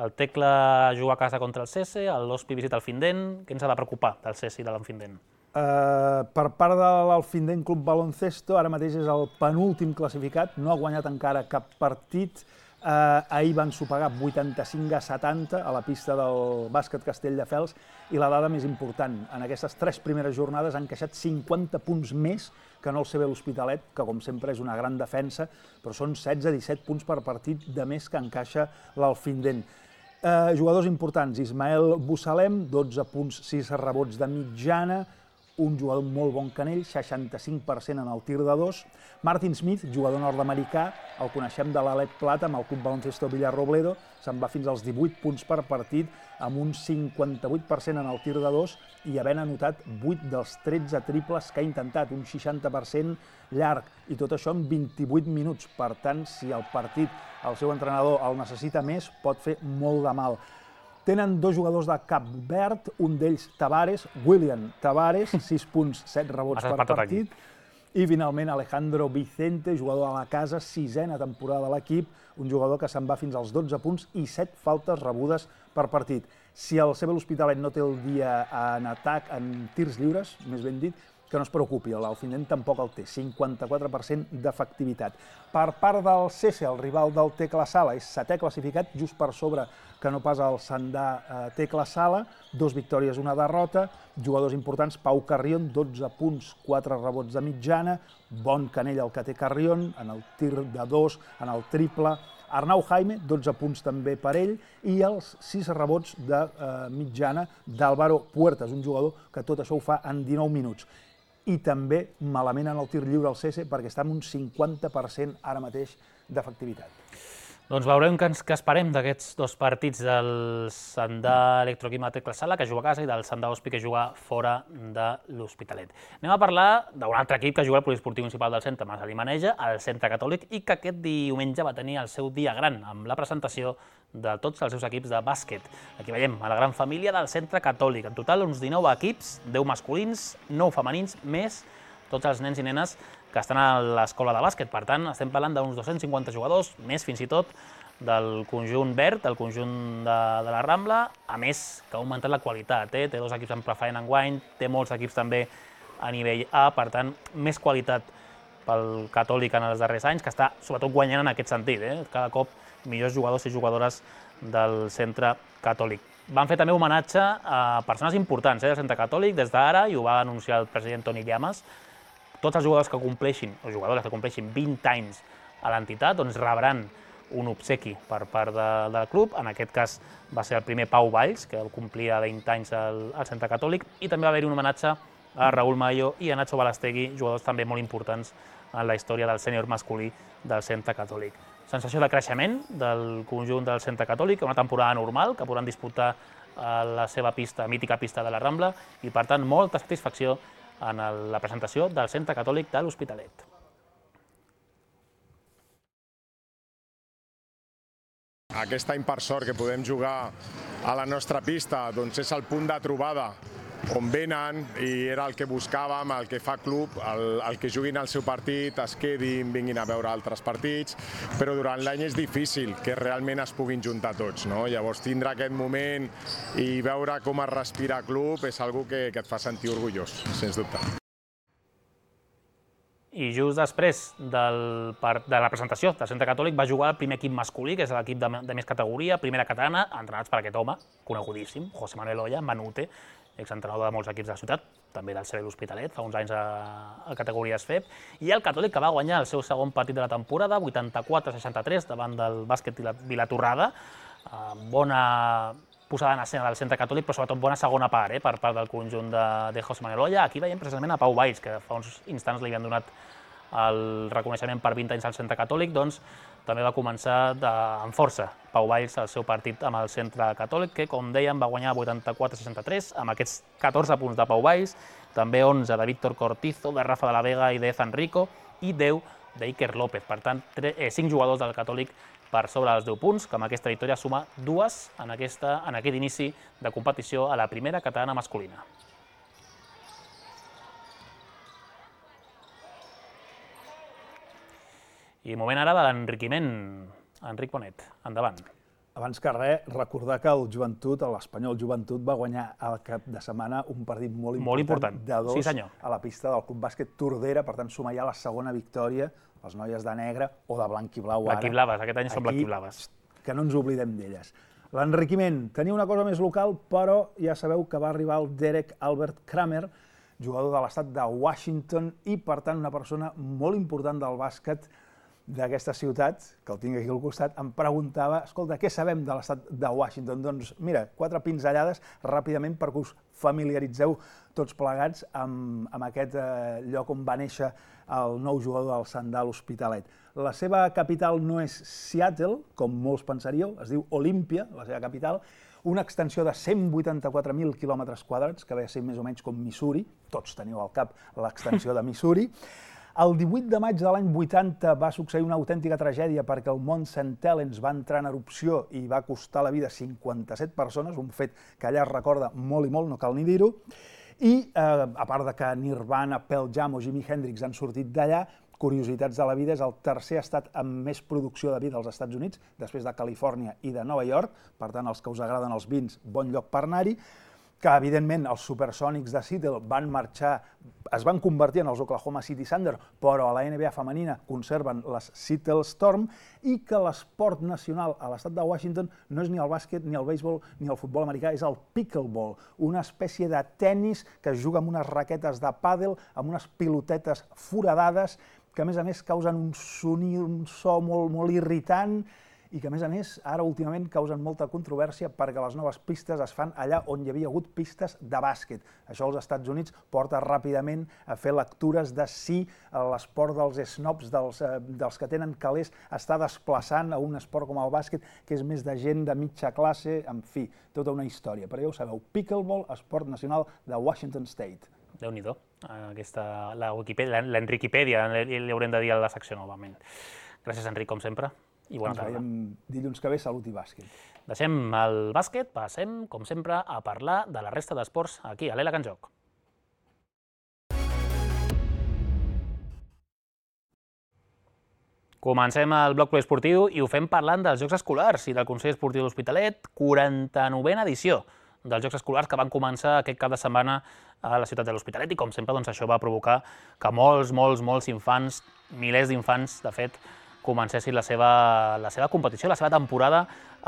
el Tecla juga a casa contra el Cese, l'Hospi visita el Findent. Què ens ha de preocupar del Cese i de l'Enfindent? Uh, per part de l'Alfindent Club Baloncesto, ara mateix és el penúltim classificat, no ha guanyat encara cap partit. Uh, ahir van sopegar vuitanta-cinc a setanta a la pista del bàsquet Castelldefels i la dada més important, en aquestes tres primeres jornades han encaixat cinquanta punts més que no el C B l'Hospitalet, que com sempre és una gran defensa, però són setze a disset punts per partit de més que encaixa l'Alfindent. Uh, jugadors importants, Ismael Bussalem, dotze punts, sis rebots de mitjana, un jugador molt bon canell, seixanta-cinc per cent en el tir de dos. Martin Smith, jugador nord-americà, el coneixem de l'Alep Plata amb el Club Baloncesto Villarrobledo, se'n va fins als divuit punts per partit, amb un cinquanta-vuit per cent en el tir de dos i havent anotat vuit dels tretze triples que ha intentat, un seixanta per cent llarg, i tot això en vint-i-vuit minuts. Per tant, si el partit, el seu entrenador, el necessita més, pot fer molt de mal. Tenen dos jugadors de Cap Verd, un d'ells Tavares, William Tavares, sis punts, set rebots per partit. I finalment Alejandro Vicente, jugador a la casa, sisena temporada de l'equip, un jugador que se'n va fins als dotze punts i set faltes rebudes per partit. Si el C B l'Hospitalet no té el dia en atac, en tirs lliures, més ben dit, que no es preocupi, l'Alfindent tampoc el té, cinquanta-quatre per cent d'efectivitat. Per part del C S, el rival del Tecla Sala, és setè classificat, just per sobre que no pas el Sandà Tecla Sala, dos victòries, una derrota, jugadors importants, Pau Carrion, dotze punts, quatre rebots de mitjana, bon canell el que té Carrion, en el tir de dos, en el triple, Arnau Jaime, dotze punts també per ell, i els sis rebots de mitjana d'Álvaro Puertas, un jugador que tot això ho fa en dinou minuts. I també malament en el tir lliure al C S perquè està en un cinquanta per cent ara mateix d'efectivitat. Doncs veurem què esperem d'aquests dos partits del Sandà Electroquímica Tecla Sala, que juga a casa, i del Sandà Hospi, que juga fora de l'Hospitalet. Anem a parlar d'un altre equip que juga al poliesportiu municipal del centre, Marcelí Maneja, el Centre Catòlic, i que aquest diumenge va tenir el seu dia gran, amb la presentació de tots els seus equips de bàsquet. Aquí veiem a la gran família del Centre Catòlic. En total, uns dinou equips, deu masculins, nou femenins, més tots els nens i nenes que estan a l'escola de bàsquet. Per tant, estem parlant d'uns dos-cents cinquanta jugadors, més fins i tot del conjunt verd, del conjunt de, de la Rambla, a més que ha augmentat la qualitat. Eh? Té dos equips en preferent enguany, té molts equips també a nivell A, per tant, més qualitat pel Catòlic en els darrers anys, que està sobretot guanyant en aquest sentit. Eh? Cada cop millors jugadors i jugadores del Centre Catòlic. Van fer també homenatge a persones importants eh, del Centre Catòlic des d'ara, i ho va anunciar el president Toni Llamas. Tots els jugadors que compleixin, o jugadores que compleixin vint anys a l'entitat, doncs rebran un obsequi per part de, del club. En aquest cas va ser el primer Pau Valls, que complia vint anys al, al Centre Catòlic, i també va haver-hi un homenatge a Raúl Mayo i a Nacho Balastegui, jugadors també molt importants en la història del sènior masculí del Centre Catòlic. Sensació de creixement del conjunt del Centre Catòlic, una temporada normal que podran disputar a la seva pista, mítica pista de la Rambla, i per tant molta satisfacció en la presentació del Centre Catòlic de l'Hospitalet. Aquest any, per sort, que podem jugar a la nostra pista, doncs és el punt de trobada on venen, i era el que buscàvem, el que fa club, el, el que juguin el seu partit, es quedin, vinguin a veure altres partits, però durant l'any és difícil que realment es puguin juntar tots, no? Llavors tindre aquest moment i veure com es respira club és algo que, que et fa sentir orgullós, sens dubte. I just després del, de la presentació del Centre Catòlic va jugar el primer equip masculí, que és l'equip de, de més categoria, primera catalana, entrenats per aquest home, conegudíssim, José Manuel Oya, Manute, exentrenador de molts equips de la ciutat, també del C B l'Hospitalet, fa uns anys a, a categories F E B, i el Catòlic, que va guanyar el seu segon partit de la temporada, vuitanta-quatre a seixanta-tres, davant del bàsquet Vilatorrada. Eh, bona posada en escena del Centre Catòlic, però sobretot bona segona part eh, per part del conjunt de, de José Manuel Oya. Aquí veiem precisament a Pau Valls, que fa uns instants li havien donat el reconeixement per vint anys al Centre Catòlic, doncs també va començar de, amb força Pau Valls el seu partit amb el Centre Catòlic, que, com dèiem, va guanyar vuitanta-quatre a seixanta-tres, amb aquests catorze punts de Pau Valls, també onze de Víctor Cortizo, de Rafa de la Vega i d'Ezan Rico, i deu d'Iker López. Per tant, cinc jugadors del Catòlic per sobre dels deu punts, que amb aquesta victòria suma dues en, aquesta, en aquest inici de competició a la primera catalana masculina. I moment ara de l'enriquiment. Enric Bonet, endavant. Abans que res, recordar que el Joventut, l'Espanyol Joventut, va guanyar al cap de setmana un partit molt important, molt important. de dos sí, senyor. a la pista del Club Bàsquet Tordera, per tant sumar ja la segona victòria, les noies de negre o de blanc i blau ara. Blanc i blaves, aquest any són blanc i blaves. Que no ens oblidem d'elles. L'enriquiment, tenia una cosa més local, però ja sabeu que va arribar el Derek Albert Kramer, jugador de l'estat de Washington i, per tant, una persona molt important del bàsquet d'aquesta ciutat, que el tinc aquí al costat, em preguntava, escolta, què sabem de l'estat de Washington? Doncs mira, quatre pinzellades ràpidament perquè us familiaritzeu tots plegats amb, amb aquest eh, lloc on va néixer el nou jugador del Sandà Hospitalet. La seva capital no és Seattle, com molts pensaríeu, es diu Olympia, la seva capital, una extensió de cent vuitanta-quatre mil quilòmetres quadrats, que ve a ser més o menys com Missouri, tots teniu al cap l'extensió de Missouri. El divuit de maig de l'any vuitanta va succeir una autèntica tragèdia perquè el mont Saint Helens va entrar en erupció i va costar la vida a cinquanta-set persones, un fet que allà es recorda molt i molt, no cal ni dir-ho. I, eh, a part de que Nirvana, Pearl Jam o Jimi Hendrix han sortit d'allà, curiositats de la vida, és el tercer estat amb més producció de vi dels Estats Units, després de Califòrnia i de Nova York, per tant, els que us agraden els vins, bon lloc per anar-hi, que evidentment els Supersonics de Seattle van marxar, es van convertir en els Oklahoma City Thunder, però a la N B A femenina conserven les Seattle Storm, i que l'esport nacional a l'estat de Washington no és ni el bàsquet, ni el béisbol, ni el futbol americà, és el pickleball, una espècie de tennis que es juga amb unes raquetes de pàdel, amb unes pilotetes foradades, que a més a més causen un sonido, un so molt, molt irritant, i que a més a més ara últimament causen molta controvèrsia perquè les noves pistes es fan allà on hi havia hagut pistes de bàsquet. Això als Estats Units porta ràpidament a fer lectures de si l'esport dels snobs, dels, dels que tenen calés, està desplaçant a un esport com el bàsquet, que és més de gent de mitja classe, en fi, tota una història. Però ja ho sabeu, pickleball, esport nacional de Washington State. Déu-n'hi-do, aquesta, la Wikipedia, l'Enriquipèdia, li haurem de dir a la secció novament. Gràcies, Enric, com sempre. I bona tarda. Ens veiem dilluns que ve, salut i bàsquet. Deixem el bàsquet, passem, com sempre, a parlar de la resta d'esports aquí, a l'Ela Can Joc. Comencem el bloc poliesportiu i ho fem parlant dels Jocs Escolars i del Consell Esportiu de l'Hospitalet, quaranta-novena edició dels Jocs Escolars que van començar aquest cap de setmana a la ciutat de l'Hospitalet, i com sempre doncs, això va provocar que molts, molts, molts infants, milers d'infants, de fet, comencessin la seva, la seva competició, la seva temporada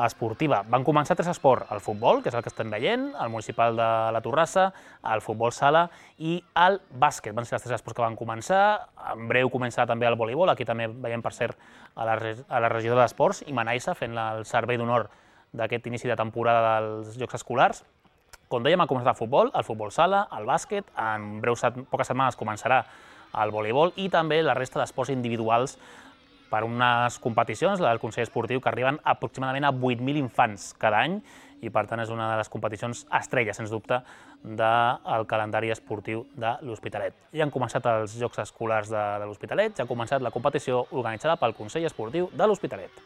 esportiva. Van començar tres esports, el futbol, que és el que estem veient, el municipal de la Torrassa, el futbol sala i el bàsquet. Van ser els tres esports que van començar. En breu començarà també el voleibol, aquí també veiem, per cert, a la, a la regidora d'Esports, Imanaisa, fent el servei d'honor d'aquest inici de temporada dels Jocs Escolars. Com dèiem, ha començat el futbol, el futbol sala, el bàsquet, en breus poques setmanes començarà el voleibol i també la resta d'esports individuals per unes competicions, la del Consell Esportiu, que arriben aproximadament a vuit mil infants cada any i, per tant, és una de les competicions estrelles, sens dubte, del calendari esportiu de l'Hospitalet. Ja han començat els Jocs Escolars de, de l'Hospitalet, ja ha començat la competició organitzada pel Consell Esportiu de l'Hospitalet.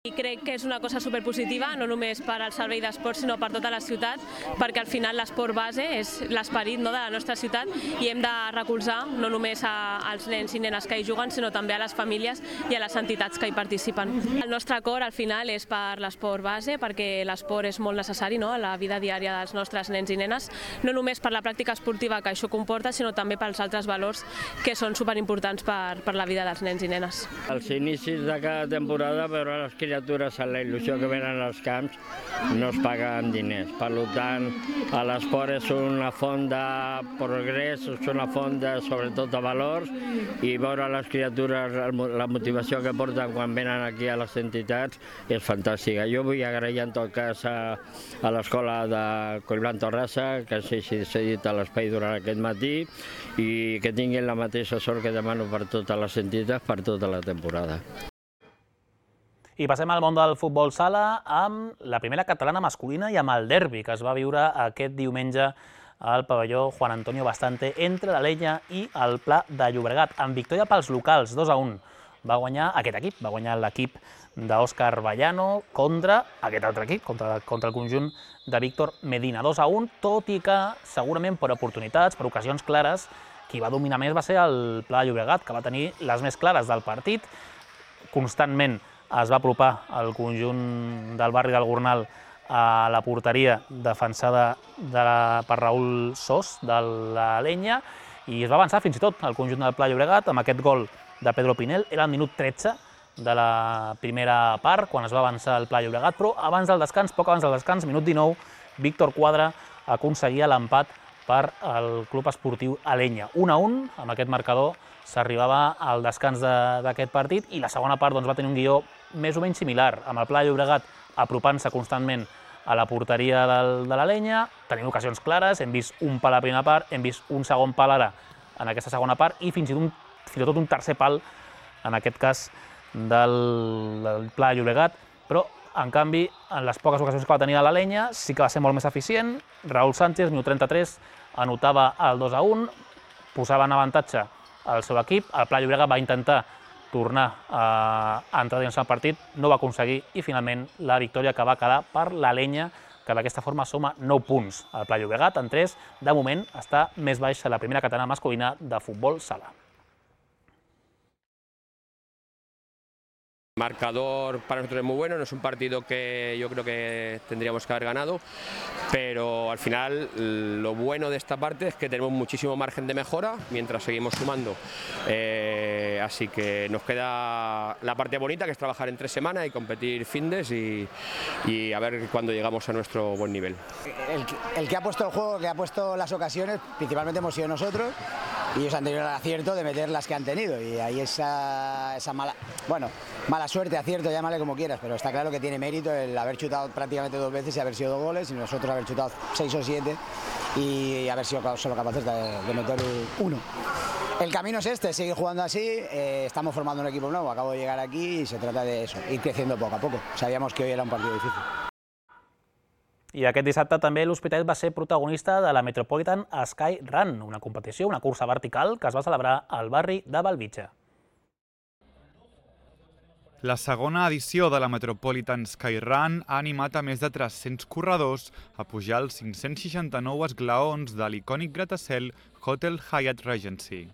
I crec que és una cosa superpositiva, no només per al servei d'esport, sinó per tota la ciutat, perquè al final l'esport base és l'esperit, no, de la nostra ciutat, i hem de recolzar no només als nens i nenes que hi juguen, sinó també a les famílies i a les entitats que hi participen. El nostre acord al final és per l'esport base, perquè l'esport és molt necessari, no, a la vida diària dels nostres nens i nenes, no només per la pràctica esportiva que això comporta, sinó també pels altres valors que són superimportants per, per la vida dels nens i nenes. Als inicis de cada temporada, veure les criatures amb la il·lusió que venen als camps no es paga amb diners. Per tant, l'esport és una font de progrés, és una font de, sobretot de valors, i veure les criatures, la motivació que porten quan venen aquí a les entitats és fantàstica. Jo vull agrair en tot cas a, a l'escola de Collblanc Torrassa, que s'ha cedit a l'espai durant aquest matí, i que tinguin la mateixa sort que demano per totes les entitats per tota la temporada. I passem al món del futbol sala amb la primera catalana masculina i amb el derbi que es va viure aquest diumenge al pavelló Juan Antonio Bastante entre l'Alella i el Pla de Llobregat, amb victòria pels locals, dos a un. Va guanyar aquest equip, va guanyar l'equip d'Òscar Vallano contra aquest altre equip, contra, contra el conjunt de Víctor Medina, dos a un, tot i que segurament per oportunitats, per ocasions clares, qui va dominar més va ser el Pla de Llobregat, que va tenir les més clares del partit, constantment es va apropar el conjunt del barri del Gornal a la porteria defensada de la, per Raül Sos de la Lenya, i es va avançar fins i tot el conjunt del Pla de Llobregat amb aquest gol de Pedro Pinel. Era el minut tretze de la primera part, quan es va avançar el Pla de Llobregat, però abans del descans, poc abans del descans, minut dinou, Víctor Quadra aconseguia l'empat per al Club Esportiu Alenya. un a un, amb aquest marcador s'arribava al descans d'aquest partit, i la segona part doncs, va tenir un guió més o menys similar, amb el Pla de Llobregat apropant-se constantment a la porteria del, de l'Alenya, tenint ocasions clares, hem vist un pal a la primera part, hem vist un segon pal ara en aquesta segona part, i fins i tot un, fins i tot un tercer pal, en aquest cas, del, del Pla de Llobregat, però En canvi, en les poques ocasions que va tenir a l'Alenya, sí que va ser molt més eficient. Raúl Sánchez, minut trenta-tres, anotava el dos a un, posava en avantatge el seu equip. El Pla Llobregat va intentar tornar a entrar dins el partit, no va aconseguir, i finalment la victòria que va quedar per l'Alenya, que d'aquesta forma suma nou punts. El Pla Llobregat, en tres, de moment està més baix a la primera catalana masculina de futbol sala. Marcador para nosotros es muy bueno, no es un partido que yo creo que tendríamos que haber ganado, pero al final lo bueno de esta parte es que tenemos muchísimo margen de mejora mientras seguimos sumando, eh, así que nos queda la parte bonita, que es trabajar en tres semanas y competir findes y, y a ver cuándo llegamos a nuestro buen nivel. El, el que ha puesto el juego, el que ha puesto las ocasiones, principalmente hemos sido nosotros, y ellos han tenido el acierto de meter las que han tenido, y ahí esa, esa mala, bueno, mala suerte, acierto, llámale como quieras, pero está claro que tiene mérito el haber chutado prácticamente dos veces y haber sido dos goles, y nosotros haber chutado seis o siete y haber sido solo capaces de, de meter uno. El camino es este, seguir jugando así, eh, estamos formando un equipo nuevo, acabo de llegar aquí y se trata de eso, ir creciendo poco a poco. Sabíamos que hoy era un partido difícil. I aquest dissabte també l'Hospitalet va ser protagonista de la Metropolitan Sky Run, una competició, una cursa vertical que es va celebrar al barri de Bellvitge. La segona edició de la Metropolitan Sky Run ha animat a més de tres-cents corredors a pujar els cinc-cents seixanta-nou esglaons de l'icònic gratacel Hotel Hyatt Regency.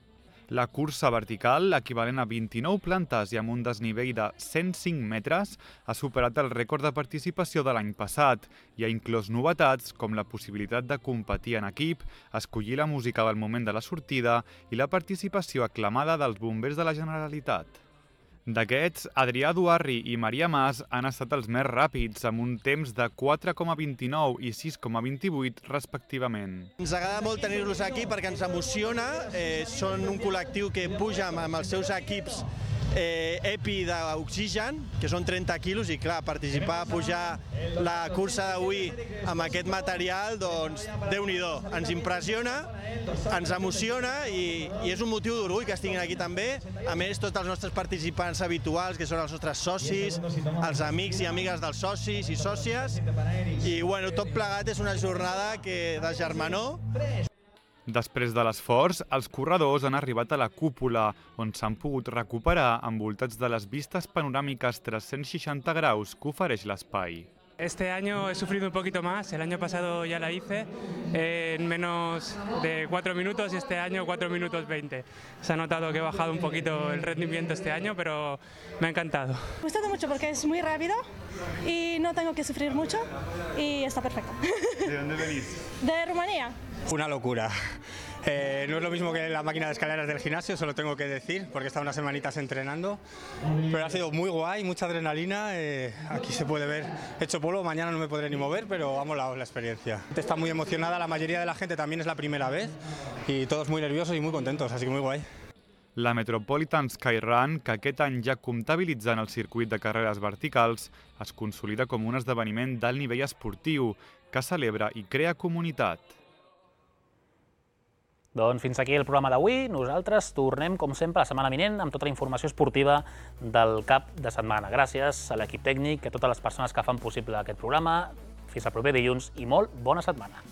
La cursa vertical, equivalent a vint-i-nou plantes i amb un desnivell de cent cinc metres, ha superat el rècord de participació de l'any passat i ha inclòs novetats com la possibilitat de competir en equip, escollir la música del moment de la sortida i la participació aclamada dels bombers de la Generalitat. D'aquests, Adrià Duarri i Maria Mas han estat els més ràpids, amb un temps de quatre coma vint-i-nou i sis coma vint-i-vuit, respectivament. Ens agrada molt tenir-los aquí perquè ens emociona. Eh, són un col·lectiu que puja amb els seus equips eh, EPI d'oxigen, que són trenta quilos, i clar, participar, pujar la cursa d'avui amb aquest material, doncs, Déu-n'hi-do, ens impressiona, ens emociona i, i és un motiu d'orgull que estiguin aquí també. A més, tots els nostres participants habituals, que són els nostres socis, els amics i amigues dels socis i sòcies, i bueno, tot plegat és una jornada que, de germanor. Després de l'esforç, els corredors han arribat a la cúpula, on s'han pogut recuperar envoltats de les vistes panoràmiques trescientos seixanta graus que ofereix l'espai. Este año he sufrido un poquito más, el año pasado ya la hice en menos de cuatro minutos y este año cuatro minutos veinte. Se ha notado que he bajado un poquito el rendimiento este año, pero me ha encantado. Me ha gustado mucho porque es muy rápido y no tengo que sufrir mucho y está perfecto. ¿De dónde venís? De Rumanía. Una locura. Eh, no es lo mismo que la máquina de escaleras del gimnasio, se lo tengo que decir, porque he estado unas semanitas entrenando, pero ha sido muy guay, mucha adrenalina, eh, aquí se puede ver, he hecho polvo, mañana no me podré ni mover, pero ha molado la experiencia. Está muy emocionada, la mayoría de la gente también es la primera vez, y todos muy nerviosos y muy contentos, así que muy guay. La Metropolitan Sky Run, que aquest any ja comptabilitza en el circuit de carreres verticals, es consolida com un esdeveniment d'alt nivell esportiu, que celebra i crea comunitat. Doncs fins aquí el programa d'avui. Nosaltres tornem, com sempre, la setmana vinent amb tota la informació esportiva del cap de setmana. Gràcies a l'equip tècnic, a totes les persones que fan possible aquest programa. Fins al proper dilluns i molt bona setmana.